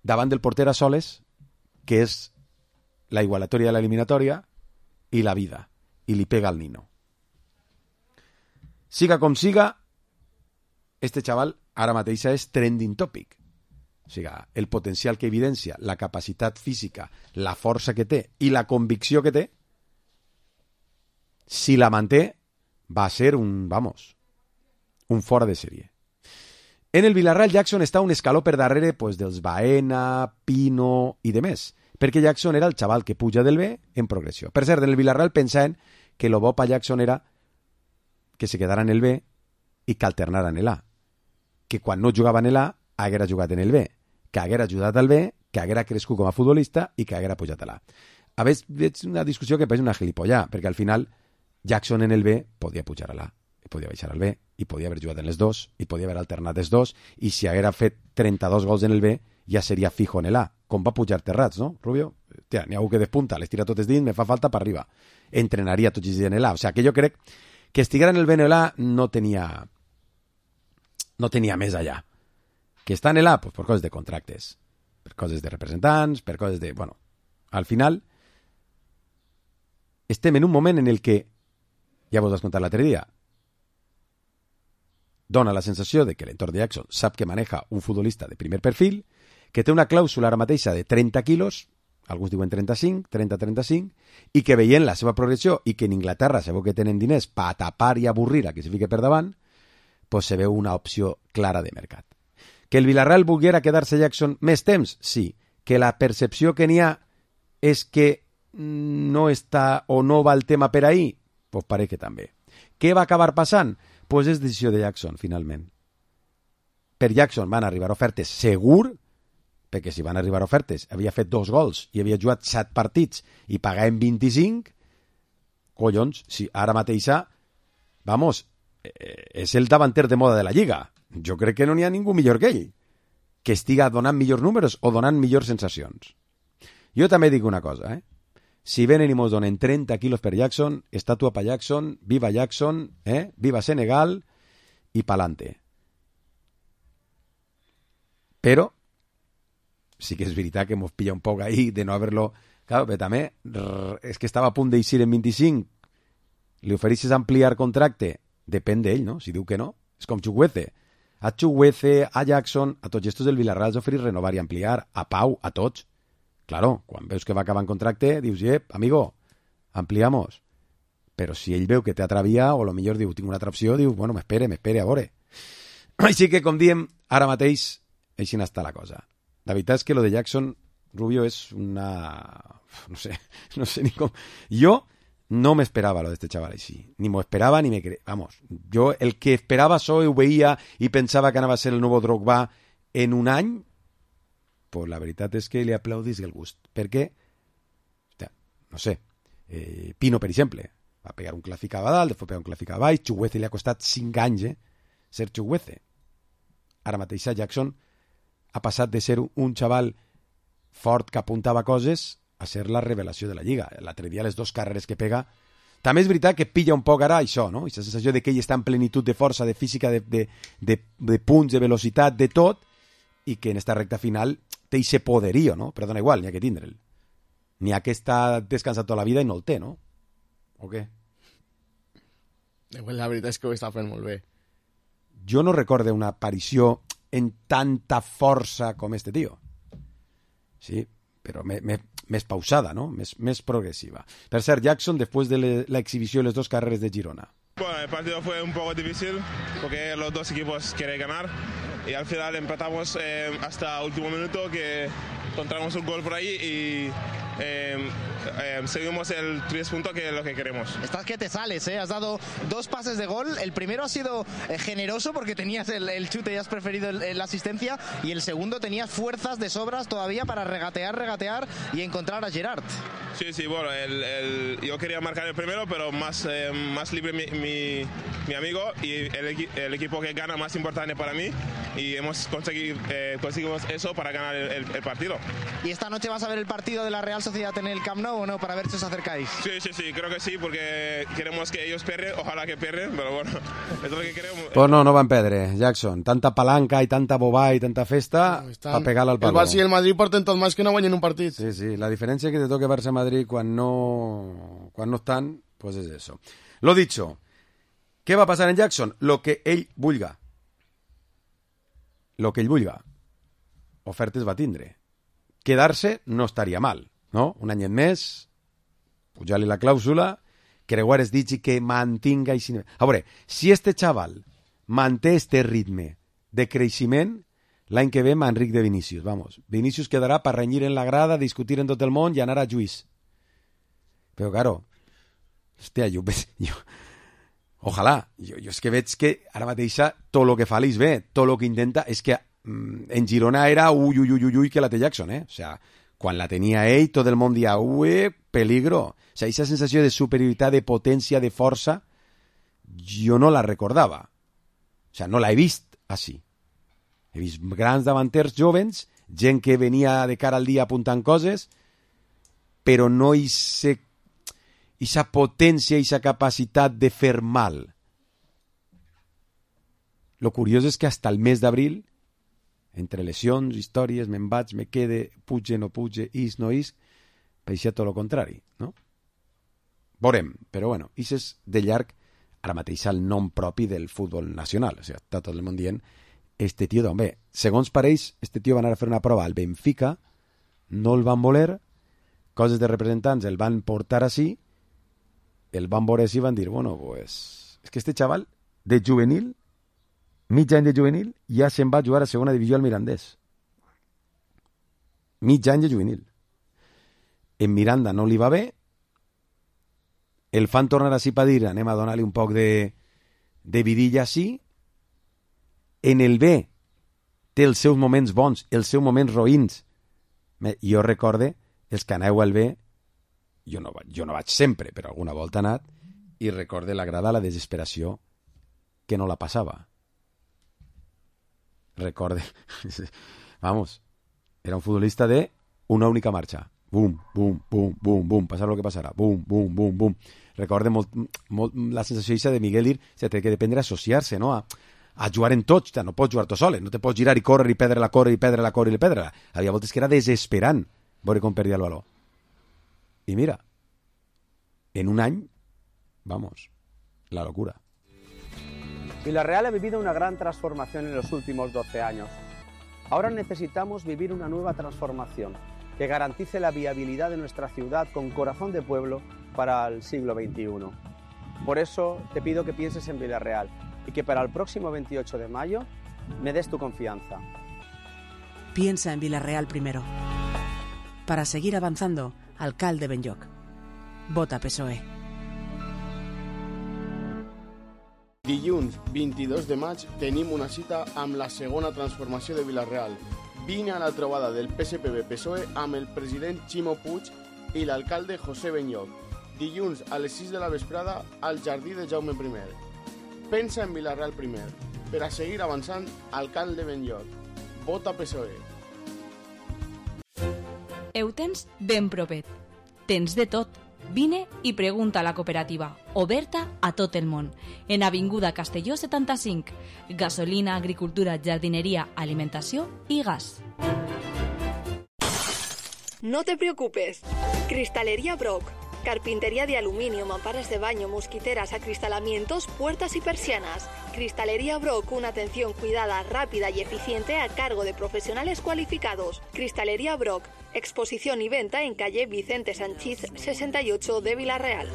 davant del porter a soles, que és la igualatòria de l'eliminatòria i la vida, i li pega al nino. Siga com siga, este xaval ara mateix és trending topic. O sigui, el potencial que evidencia, la capacitat física, la força que té i la convicció que té, si la manté, va ser un, vamos, un fora de sèrie. En el Villarreal, Jackson està un escaló per darrere pues, dels Baena, Pino i de més, perquè Jackson era el xaval que puja del B en progressió. Per cert, en el Villarreal pensaven que lo bo pa Jackson era que se quedara en el B i que alternara en el A. Que quan no jugava en el A, haguera jugat en el B, que haguera ajudat al B, que haguera crescut com a futbolista i que haguera pujat a l'A. A veure, és una discussió que pareix una gilipollà, perquè al final Jackson en el B podia pujar a l'A, i podia baixar al B, i podia haver jugat en les dos, i podia haver alternat els dos, i si haguera fet trenta-dos gols en el B, ja seria fijo en el A, com va pujar Terrats, no, Rubio? Tia, n'hi ha algú que despunta, les tira totes dins, me fa falta per arriba. Entrenaria tots els dies en el A. O sigui, que jo crec que estiguera en el B en el A no tenia no tenia més allà. Que està en el A, pues, per coses de contractes, per coses de representants, per coses de... Bueno, al final estem en un moment en el que, ja vos has contat l'altre dia, dona la sensació de que l'entorn de Jackson sap que maneja un futbolista de primer perfil, que té una clàusula ara mateixa de trenta quilos, alguns diuen trenta-cinc, trenta a trenta-cinc, i que veient la seva progressió i que en Inglaterra sabeu que tenen diners per tapar i avorrir a que se fique per davant, pues se veu una opció clara de mercat. Que el Villarreal volguera quedar-se Jackson més temps? Sí. Que la percepció que n'hi ha és que no està o no va el tema per ahí? Pues pareix que també. Què va acabar passant? Pues és decisió de Jackson, finalment. Per Jackson van arribar ofertes segur, perquè si van arribar ofertes, havia fet dos gols i havia jugat set partits i pagaven vint-i-cinc, collons, si ara mateixa, vamos, és el davanter de moda de la Lliga. Jo crec que no n'hi ha ningú millor que ell, que estiga donant millors números o donant millors sensacions. Jo també dic una cosa, eh? Si venen i mos donen trenta quilos per Jackson, estatua pa Jackson, viva Jackson, eh? Viva Senegal i pa'lante. Però sí que és veritat que mos pilla un poc ahí de no haver-lo... Claro, però també és que estava a punt d'eixir en vint-i-cinc, li ofereixes ampliar contracte, depèn d'ell, no? Si diu que no, és com Chukwueze. A Chukwueze, a Jackson, a tots estos del Villarreal els oferís renovar i ampliar, a Pau, a tots. Claro, quan veus que va acabar en contracte, dius, eh, amigo, ampliamos. Però si ell veu que té altra via, o lo millor diu, tinc una altra opció, diu, bueno, m'espere, m'espere, a veure. Així que, com diem, ara mateix, així n'està la cosa. La veritat és que lo de Jackson, Rubio, és una... No sé, no sé ni com... Jo no m'esperava lo d'este xaval així. Ni m'ho esperava ni me cre... Vamos, jo el que esperava so ho veia i pensava que anava a ser el nou Drogba en un any, pues la veritat és que li aplaudís el gust. Perquè, no sé, eh, Pino, per exemple, va pegar un clàssic a dalt, després pegar un clàssic a baix, Chukwueze li ha costat cinc anys, eh, ser Chukwueze. Ara mateix Jackson ha passat de ser un xaval fort que apuntava coses a ser la revelació de la Lliga. L'altre dia, les dues carreres que pega... També és veritat que pilla un poc ara això, no? Aquesta sensació de que ell està en plenitud de força, de física, de, de, de, de punts, de velocitat, de tot, i que en esta recta final té ese poderío, no? Però dona igual, n'hi ha que tindre'l. N'hi ha que està descansat tota la vida i no el té, no? O què? La veritat és que ho està fent molt bé. Jo no recorde una aparició en tanta força com este tio. Sí, però me, me, més pausada, ¿no? Més, més progressiva. Per cert, Jackson, després de le, la exhibició de les dos carreres de Girona. Bueno, el partido fue un poco difícil porque los dos equipos quieren ganar y al final empatamos eh, hasta último minuto que encontramos un gol por ahí y eh, eh, seguimos el tres puntos que es lo que queremos. Estás que te sales, ¿eh? Has dado dos pases de gol. El primero ha sido eh, generoso porque tenías el, el chute y has preferido el, el, la asistencia, y el segundo tenías fuerzas de sobras todavía para regatear, regatear y encontrar a Gerard. Sí, sí, bueno, el, el, yo quería marcar el primero, pero más, eh, más libre mi, mi, mi amigo y el, el equipo que gana más importante para mí, y hemos conseguido eh, conseguimos eso para ganar el, el, el partido. ¿Y esta noche vas a ver el partido de la Real Sociedad en el Camp Nou o no, para ver si os acercáis? Sí, sí, sí, creo que sí, porque queremos que ellos pierden, ojalá que pierden, pero bueno, es lo que queremos. Pues no, no van perdre, Jackson. Tanta palanca i tanta bobà i tanta festa no, per pegar-la al palo. El Barça i el Madrid porten tot més que no guanyen un partit. Sí, sí, la diferència que te toque Barça-Madrid quan no, quan no estan, pues es eso. Lo dicho, què va passar en Jackson? Lo que ell vulga. Lo que ell vulga. Ofertes va tindre. Quedar-se no estaria mal, no? Un anyet més, pujar-li la clàusula, creuar es digui que mantinga... I... A veure, si este xaval manté este ritme de creixement, l'any que ve m'enric de Vinícius, vamos. Vinícius quedarà per renyir en la grada, discutir en tot el món i anar a juís. Però, claro, hòstia, jo... jo ojalà, jo, jo és que veig que ara mateix tot el que fa l'Is bé, tot el que intenta, és que en Girona era ui, ui, ui, ui, que la té Jackson, eh? O sea, quan la tenia ell, tot el món dia, ui, peligro. O sea, aquesta sensació de superioritat, de potència, de força, jo no la recordava. O sea, no la he vist així. He vist grans davanters jovens, gent que venia de cara al dia apuntant coses, però no aquesta potència, aquesta capacitat de fer mal. Lo curiós és que hasta el mes d'abril, entre lesions, històries, me'n vaig, me quede, puge, no puge, is, no is, pareixia tot el contrari, no? Veurem, però bueno, is és de llarg ara mateix el nom propi del futbol nacional, o sigui, està tot el món dient, este tio d'on ve. Segons pareix, este tio va anar a fer una prova al Benfica, no el van voler, coses de representants el van portar així, el van veure així i van dir, bueno, pues, és que este xaval de juvenil, mig any de juvenil, ja se'n va jugar a segona divisió al Mirandés. Mig any de juvenil. En Miranda no li va bé, el fan tornar així per dir, anem a donar-li un poc de, de vidilla així, en el B té els seus moments bons, els seus moments roïns. Jo recorde, els que aneu al B, jo no, jo no vaig sempre, però alguna volta he anat, i recorde la grada, la desesperació, que no la passava. Recorde, vamos, era un futbolista de una única marxa. Bum, bum, bum, bum, bum, passar el que passarà. Bum, bum, bum, bum. Recorde molt, molt la sensació de Miguel dir, o sigui, té que dependre associar-se, no? A, a jugar en tots, no pots jugar tu sol, no te pots girar i córrer i perdre-la, córrer i perdre-la, córrer i perdre-la. Havia voltes que era desesperant veure com perdia el baló. I mira, en un any, vamos, la locura. Villarreal ha vivido una gran transformación en los últimos doce años. Ahora necesitamos vivir una nueva transformación que garantice la viabilidad de nuestra ciudad con corazón de pueblo para el siglo veintiuno. Por eso te pido que pienses en Villarreal y que para el próximo veintiocho de mayo me des tu confianza. Piensa en Villarreal primero. Para seguir avanzando, alcalde Benlloc. Vota P S O E. Dilluns vint-i-dos de maig tenim una cita amb la segona transformació de Villarreal. Vine a la trobada del P S P B P S O E amb el president Ximo Puig i l'alcalde José Benlloc. Dilluns a les sis de la vesprada al jardí de Jaume primer. Pensa en Villarreal primer. Per a seguir avançant, alcalde Benlloc. Vota P S O E. Ho tens ben propet. Tens de tot. Vine i pregunta a la cooperativa, oberta a tot el món, en Avinguda Castelló setanta-cinc. Gasolina, agricultura, jardineria, alimentació i gas. No te preocupes. Cristalería Brock. Carpintería de aluminio, mamparas de baño, mosquiteras, acristalamientos, puertas y persianas. Cristalería Brock, una atención cuidada, rápida y eficiente a cargo de profesionales cualificados. Cristalería Brock, exposición y venta en calle Vicente Sanchís sesenta y ocho de Villarreal.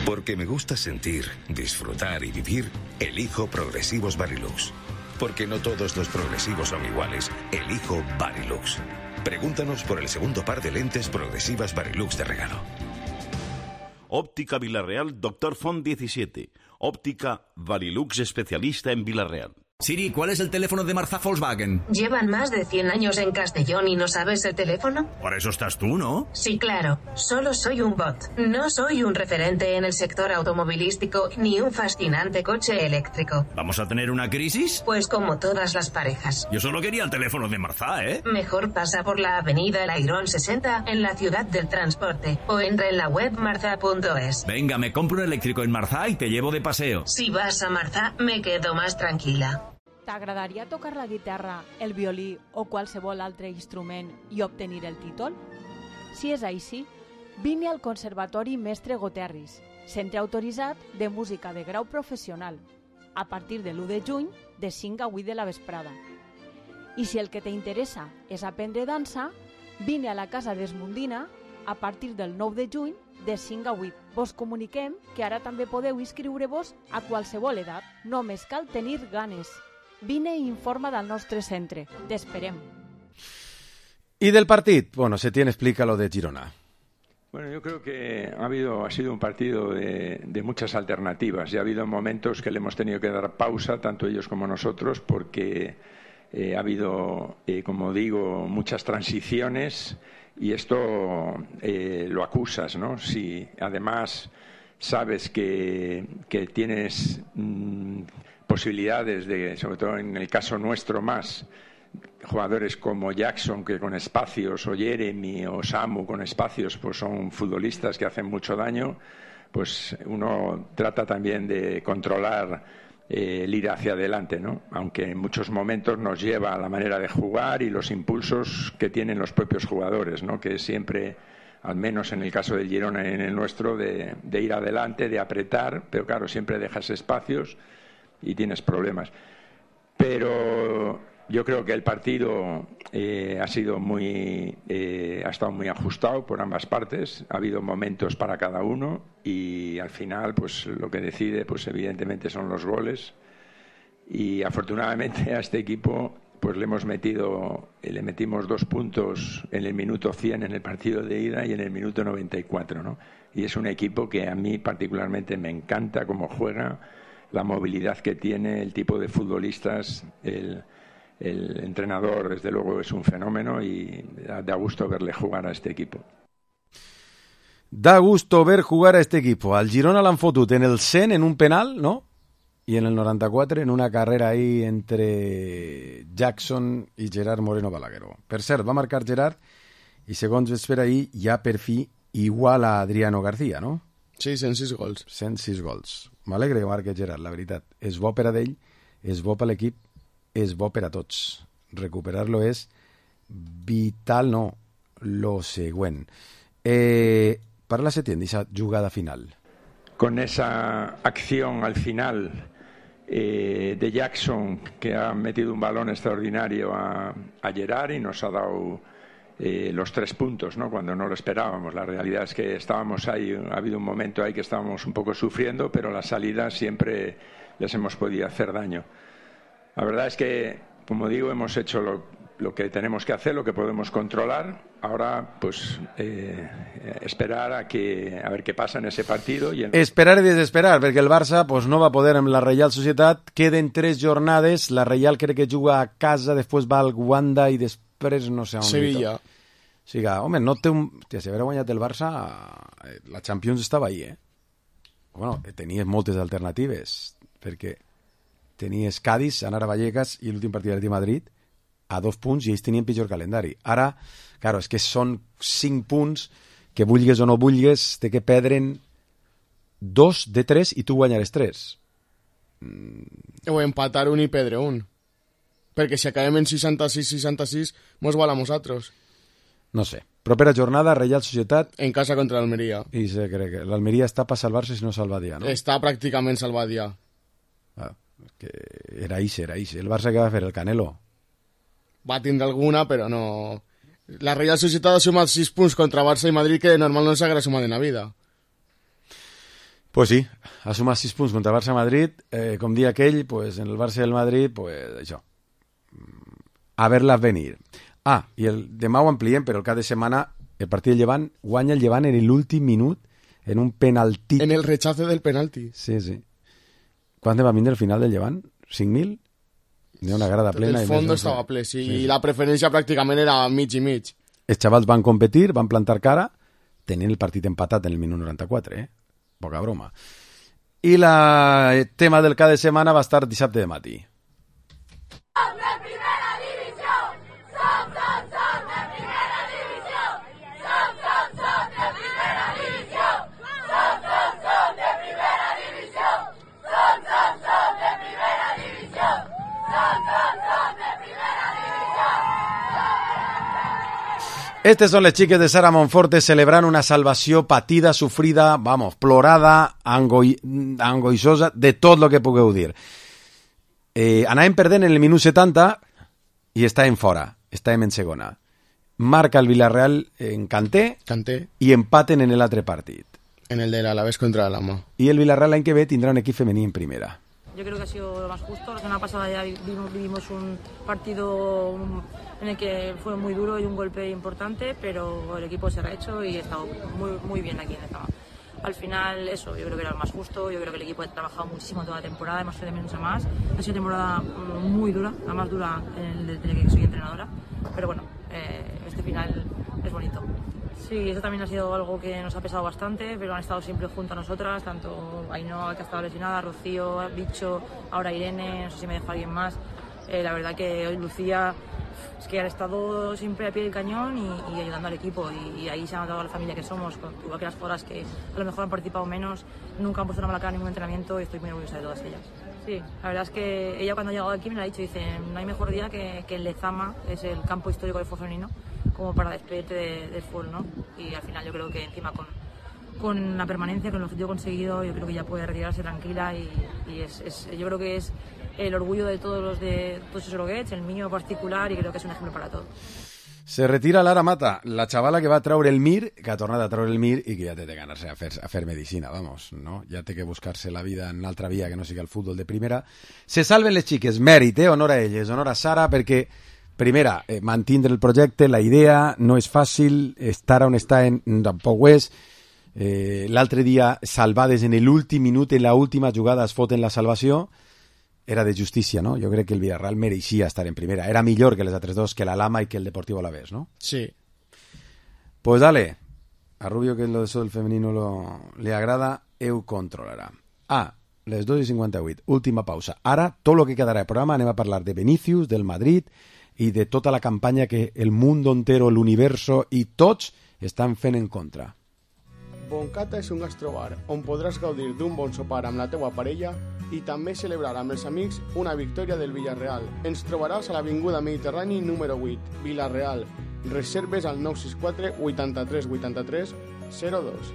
Porque me gusta sentir, disfrutar y vivir, elijo Progresivos Varilux. Porque no todos los progresivos son iguales, elijo Varilux. Pregúntanos por el segundo par de lentes progresivas Varilux de regalo. Óptica Villarreal, Doctor Font diecisiete. Óptica Varilux, especialista en Villarreal. Siri, ¿cuál es el teléfono de Marzá Volkswagen? ¿Llevan más de cien años en Castellón y no sabes el teléfono? Para eso estás tú, ¿no? Sí, claro. Solo soy un bot. No soy un referente en el sector automovilístico ni un fascinante coche eléctrico. ¿Vamos a tener una crisis? Pues como todas las parejas. Yo solo quería el teléfono de Marzá, ¿eh? Mejor pasa por la avenida El Airón sesenta en la ciudad del transporte o entra en la web marzá punto es. Venga, me compro un eléctrico en Marzá y te llevo de paseo. Si vas a Marzá, me quedo más tranquila. T'agradaria tocar la guitarra, el violí o qualsevol altre instrument i obtenir el títol? Si és així, vine al Conservatori Mestre Goterris, centre autoritzat de música de grau professional, a partir de l'u de juny de cinc a vuit de la vesprada. I si el que t'interessa és aprendre dansa, vine a la Casa d'Esmundina a partir del nou de juny de cinc a vuit. Vos comuniquem que ara també podeu inscriure-vos a qualsevol edat. Només cal tenir ganes. Vine i informa del nostre centre. T'esperem. ¿Y del partido? Bueno, Setién explica lo de Girona. Bueno, yo creo que ha habido ha sido un partido de, de muchas alternativas y ha habido momentos que le hemos tenido que dar pausa, tanto ellos como nosotros, porque eh, ha habido, eh, como digo, muchas transiciones y esto eh, lo acusas, ¿no? Si además sabes que, que tienes mmm, posibilidades de, sobre todo en el caso nuestro más, jugadores como Jackson que con espacios, o Jeremy o Samu con espacios, pues son futbolistas que hacen mucho daño, pues uno trata también de controlar eh, el ir hacia adelante, ¿no? Aunque en muchos momentos nos lleva a la manera de jugar y los impulsos que tienen los propios jugadores, ¿no? Que siempre, al menos en el caso del Girona y en el nuestro, de, de ir adelante, de apretar, pero claro, siempre dejas espacios y tienes problemas. Pero yo creo que el partido eh, ha sido muy eh, ha estado muy ajustado por ambas partes, ha habido momentos para cada uno y al final pues lo que decide pues evidentemente son los goles y afortunadamente a este equipo pues le hemos metido le metimos dos puntos en el minuto cien en el partido de ida y en el minuto noventa y cuatro, ¿no? Y es un equipo que a mí particularmente me encanta cómo juega, la movilidad que tiene, el tipo de futbolistas, el, el entrenador desde luego es un fenómeno y da, da gusto verle jugar a este equipo. Da gusto ver jugar a este equipo. Al Girona l'han fotut en el cent en un penal, ¿no? Y en el noranta-quatre en una carrera ahí entre Jackson i Gerard Moreno Balagueró. Per cert, va marcar Gerard i segons es per ahir ja per fi igual a Adriano García, no? Sí, cent sis gols. cent sis gols. M'alegre que marque Gerard, la veritat. És bo per a ell, és bo per l'equip, és bo per a tots. Recuperar-lo és vital, no, lo següent. Eh, parla Setién d'esa jugada final. Con esa acción al final eh, de Jackson, que ha metido un balón extraordinario a, a Gerard y nos ha dado Eh, los tres puntos, ¿no? Cuando no lo esperábamos. La realidad es que estábamos ahí, ha habido un momento ahí que estábamos un poco sufriendo, pero las salidas siempre les hemos podido hacer daño. La verdad es que, como digo, hemos hecho lo, lo que tenemos que hacer, lo que podemos controlar. Ahora, pues, eh, esperar a que a ver qué pasa en ese partido. I en... Esperar i desesperar, perquè el Barça pues, no va poder amb la Reial Societat. Queden tres jornades, la Reial crec que juga a casa, després va al Wanda i després després no sé on. Sevilla. O sigui, home, no té un... Hòstia, si haguera guanyat el Barça, la Champions estava ahí, eh? Bueno, tenies moltes alternatives, perquè tenies Cádiz, anar a Vallecas i l'últim partit de Madrid a dos punts i ells tenien pitjor calendari. Ara, claro, és que són cinc punts que vulgues o no vulgues, té que perdre'n dos de tres i tu guanyaràs tres. Mm. O empatar un i perdre un. Perquè si acabem en seixanta-sis seixanta-sis, mos val a nosaltres. No sé, Propera jornada, Reial Societat... En casa contra l'Almeria. I se cree que l'Almeria està per salvar-se si no salvat ja, no? Està pràcticament salvat ja. Ah, que era ixe, era ixe. El Barça que va fer, el Canelo. Va tindre alguna, però no... La Reial Societat ha sumat sis punts contra Barça i Madrid que normal no s'haguera sumat en la vida. Pues sí, ha sumat sis punts contra Barça i Madrid. Eh, com dia aquell, pues, en el Barça i el Madrid, pues això. A ver-las venir. Ah, i el demà ho ampliem, però el cap de setmana el partit del Llevant guanya el Llevant en l'últim minut en un penalti. En el rechace del penalti. Sí, sí. Quant va vindre el final del Llevant? cinc mil? N'hi ha una grada plena. El fons estava ple, sí, sí. I la preferència pràcticament era mig i mig. Els xavals van competir, van plantar cara, tenint el partit empatat en el minut noranta-quatre, eh? Poca broma. I el tema del cap de setmana va estar dissabte de matí. Estes són les xiques de Sara Monforte celebrant una salvació patida, sofrida, vamos, plorada, angoi, angoixosa, de tot el que pugueu dir. Eh, anàvem perdent en el minut setanta i estàvem fora, estàvem en segona. Marca el Villarreal en Kanté, Kanté. I empaten en l'altre partit. En el de l'Alavés contra l'Alhama. I el Villarreal l'any que ve tindrà un equip femení en primera. Yo creo que ha sido lo más justo. La semana pasada ya vivimos, vivimos un partido en el que fue muy duro y un golpe importante, pero el equipo se ha rehecho y ha estado muy, muy bien aquí en el campo. Al final, eso, yo creo que era lo más justo. Yo creo que el equipo ha trabajado muchísimo toda la temporada, hemos hecho de menos a más. Ha sido una temporada muy dura, la más dura desde que soy entrenadora. Pero bueno, eh, este final es bonito. Sí, eso también ha sido algo que nos ha pesado bastante, pero han estado siempre junto a nosotras, tanto Ainhoa, que ha estado lesionada, Rocío, Bicho, ahora Irene, no sé si me dejo a alguien más. Eh, la verdad que hoy Lucía, es que han estado siempre a pie del cañón y, y ayudando al equipo, y, y ahí se ha notado la familia que somos, con, igual que las jugadoras que a lo mejor han participado menos, nunca han puesto una mala cara en ningún entrenamiento y estoy muy orgullosa de todas ellas. Sí, la verdad es que ella cuando ha llegado aquí me lo ha dicho, dice, no hay mejor día que, que el Lezama, es el campo histórico del fútbol femenino, como para despedirte de, del fútbol, ¿no? Y al final yo creo que encima con, con la permanencia, con el objetivo conseguido, yo creo que ya puede retirarse tranquila y, y es, es, yo creo que es el orgullo de todos los de todos esos Oroguets, el mío particular, y creo que es un ejemplo para todos. Se retira Lara Mata, la xavala que va treure el Mir, que ha tornat a treure el Mir i que ja té de ganar-se a fer, a fer medicina, vamos, no? Ja té que buscar-se la vida en altra via que no sigui el futbol de primera. Se salven les xiques, mèrit, eh? Honor a elles, honor a Sara, perquè, primera, eh, mantindre el projecte, la idea, no és fàcil, estar on està en, tampoc ho és. Eh, L'altre dia, salvades en l'últim minut, en l'última jugada es foten la salvació. Era de justícia, ¿no? Jo crec que el Villarreal mereixia estar en primera. Era millor que les altres dos, que l'Alhama i que el Deportivo Alavés, ¿no? Sí. Pues dale. A Rubio, que lo de eso del femenino lo, le agrada, eu controlarà. Ah, les dos i cinquanta-vuit. Última pausa. Ara, tot el que quedarà de programa, anem a parlar de Vinicius, del Madrid i de tota la campanya que el mundo entero, l'universo i tots estan fent en contra. Boncata és un gastrobar on podràs gaudir d'un bon sopar amb la teua parella i també celebrar amb els amics una victòria del Villarreal. Ens trobaràs a l'Avinguda Mediterrani número vuit, Villarreal. Reserves al nou sis quatre vuitanta-tres vuitanta-tres zero dos.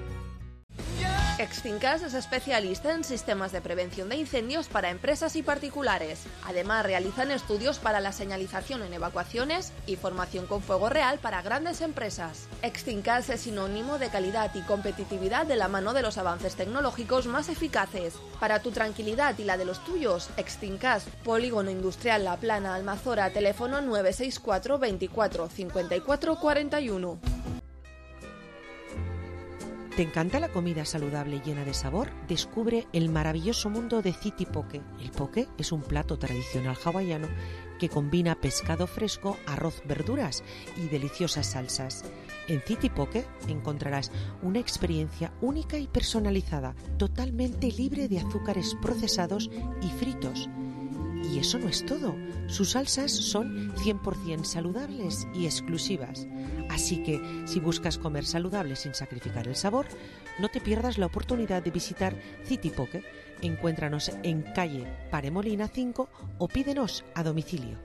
Extincas es especialista en sistemas de prevención de incendios para empresas y particulares. Además, realizan estudios para la señalización en evacuaciones y formación con fuego real para grandes empresas. Extincas es sinónimo de calidad y competitividad de la mano de los avances tecnológicos más eficaces. Para tu tranquilidad y la de los tuyos, Extincas, Polígono Industrial La Plana, Almazora, teléfono nueve seis cuatro veinticuatro cincuenta y cuatro cuarenta y uno. ¿Te encanta la comida saludable y llena de sabor? Descubre el maravilloso mundo de City Poke. El poke es un plato tradicional hawaiano que combina pescado fresco, arroz, verduras y deliciosas salsas. En City Poke encontrarás una experiencia única y personalizada, totalmente libre de azúcares procesados y fritos. Y eso no es todo. Sus salsas son cien por ciento saludables y exclusivas. Así que, si buscas comer saludable sin sacrificar el sabor, no te pierdas la oportunidad de visitar City Poke. Encuéntranos en calle Paremolina cinco o pídenos a domicilio.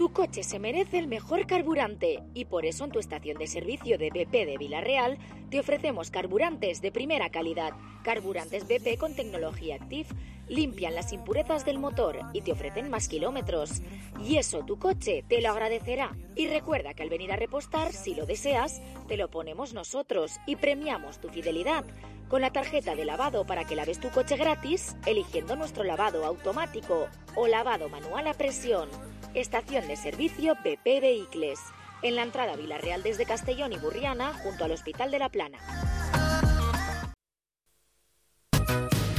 Tu coche se merece el mejor carburante y por eso en tu estación de servicio de B P de Vila-real te ofrecemos carburantes de primera calidad. Carburantes B P con tecnología Active limpian las impurezas del motor y te ofrecen más kilómetros. Y eso tu coche te lo agradecerá. Y recuerda que al venir a repostar, si lo deseas, te lo ponemos nosotros y premiamos tu fidelidad con la tarjeta de lavado para que laves tu coche gratis eligiendo nuestro lavado automático o lavado manual a presión. Estación de servicio B P Vehicles, en la entrada a Vila-real desde Castellón y Burriana, junto al Hospital de la Plana.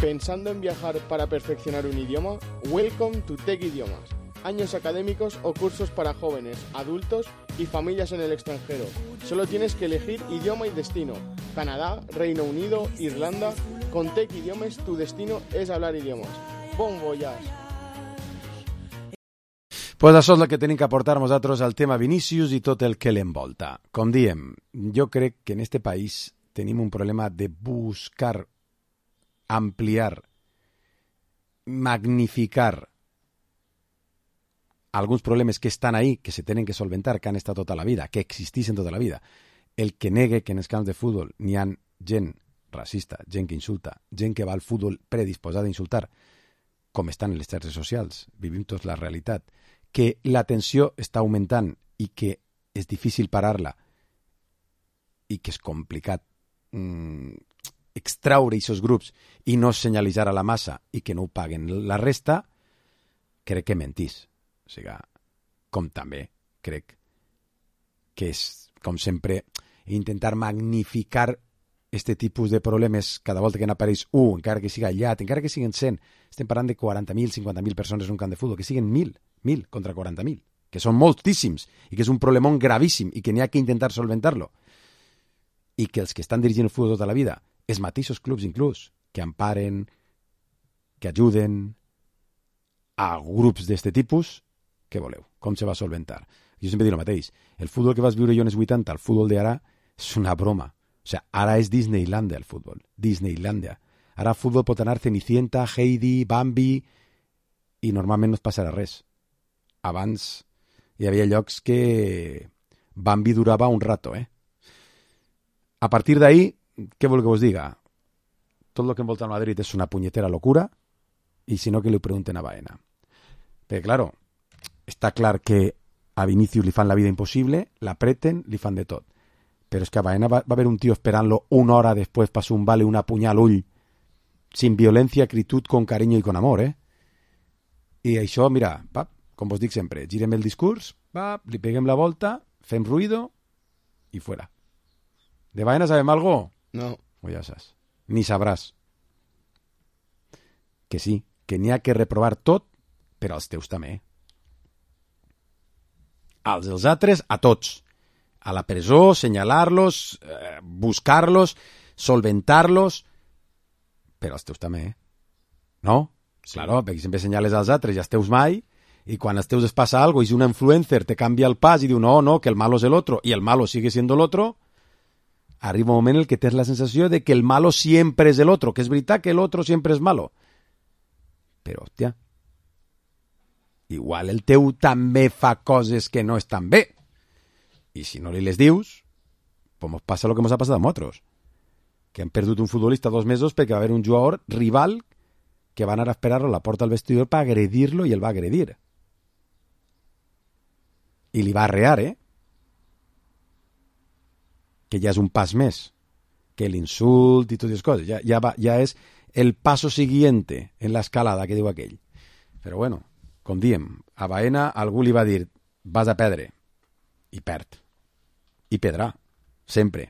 ¿Pensando en viajar para perfeccionar un idioma? Welcome to Tech Idiomas. Años académicos o cursos para jóvenes, adultos y familias en el extranjero. Solo tienes que elegir idioma y destino. Canadá, Reino Unido, Irlanda. Con Tech Idiomas tu destino és hablar idiomes. Bon voyage! Pues això és el que tenim que aportar nosaltres al tema Vinícius i tot el que l'envolta. Com diem, jo crec que en este país tenim un problema de buscar, ampliar, magnificar alguns problemes que estan ahí, que se tenen que solventar, que han estat tota la vida, que existissin tota la vida. El que negue que en els camps de futbol n'hi ha gent racista, gent que insulta, gent que va al futbol predisposada a insultar, com estan en les xarxes socials, vivim tots la realitat, que la tensió està augmentant i que és difícil parar-la i que és complicat mmm, extraure aquests grups i no senyalitzar a la massa i que no ho paguen la resta, crec que mentís. O sigui, com també crec que és, com sempre, intentar magnificar este tipus de problemes cada volta que n'apareix un, encara que siga aïllat, encara que siguin cent, estem parlant de quaranta mil, cinquanta mil persones en un camp de futbol, que siguin mil, mil contra quaranta mil, que són moltíssims i que és un problemón gravíssim i que n'hi ha que intentar solventar-lo. I que els que estan dirigint el futbol tota la vida, els mateixos clubs inclús, que emparen, que ajuden a grups d'este tipus, què voleu? Com se va solventar? Jo sempre dic el mateix. El futbol que vas viure jo en els vuitanta, el futbol d'ara, és una broma. O sea, ara és Disneylandia el futbol. Disneylandia. Ara el futbol pot anar Cenicienta, Heidi, Bambi, i normalment no es passarà res. Abans hi havia llocs que Bambi durava un rato, eh? A partir d'ahí, què vol que us diga? Tot el que envolta el Madrid és una punyetera locura, i si no que li pregunten a Baena. Perquè, claro, està clar que a Vinícius li fan la vida impossible, l'apreten, li fan de tot. Però és que a Baena va, va haver un tio esperant-lo una hora després per un vale una punyal al ull, sin violencia, acritud, con cariño y con amor, eh? I això, mira, va, com vos dic sempre, girem el discurs, va, li peguem la volta, fem ruïdo i fuera. ¿De Baena sabem algo? No. Pues ja saps. Ni sabràs. Que sí, que n'hi ha que reprovar tot, però als teus també. Als dels altres, a tots. A la presó, senyalar-los, eh, buscar-los, solventar-los, però els teus també, eh? No? Sí. Claro, perquè sempre senyales als altres i als teus mai, i quan als teus es passa algo i si un influencer te canvia el pas i diu no, no, que el malo és el otro, y el malo sigue siendo el otro, arriba un moment en el que tens la sensació de que el malo siempre és el otro, que és veritat que el otro siempre és malo. Però, hòstia, igual el teu també fa coses que no estan bé. I si no li les dius, pues mos passa el que mos ha passat a nosaltres, que han perdut un futbolista dos mesos perquè va haver un jugador rival que va anar a esperar-lo a la porta del vestidor per agredir-lo i el va agredir. I li va arrear, eh? Que ja és un pas més que l'insult i totes les coses. Ja, ja, va, ja és el paso siguiente en l'escalada que diu aquell. Però bueno, com diem, a Baena algú li va dir vas a perdre, i perd. I perdrà, sempre.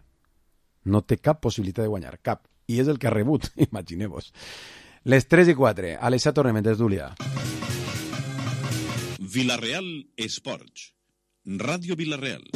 No té cap possibilitat de guanyar, cap. I és el que ha rebut, imagineu-vos. Les tres i quatre, a les set tornem en tertúlia. Vila-real Esports. Ràdio Vila-real.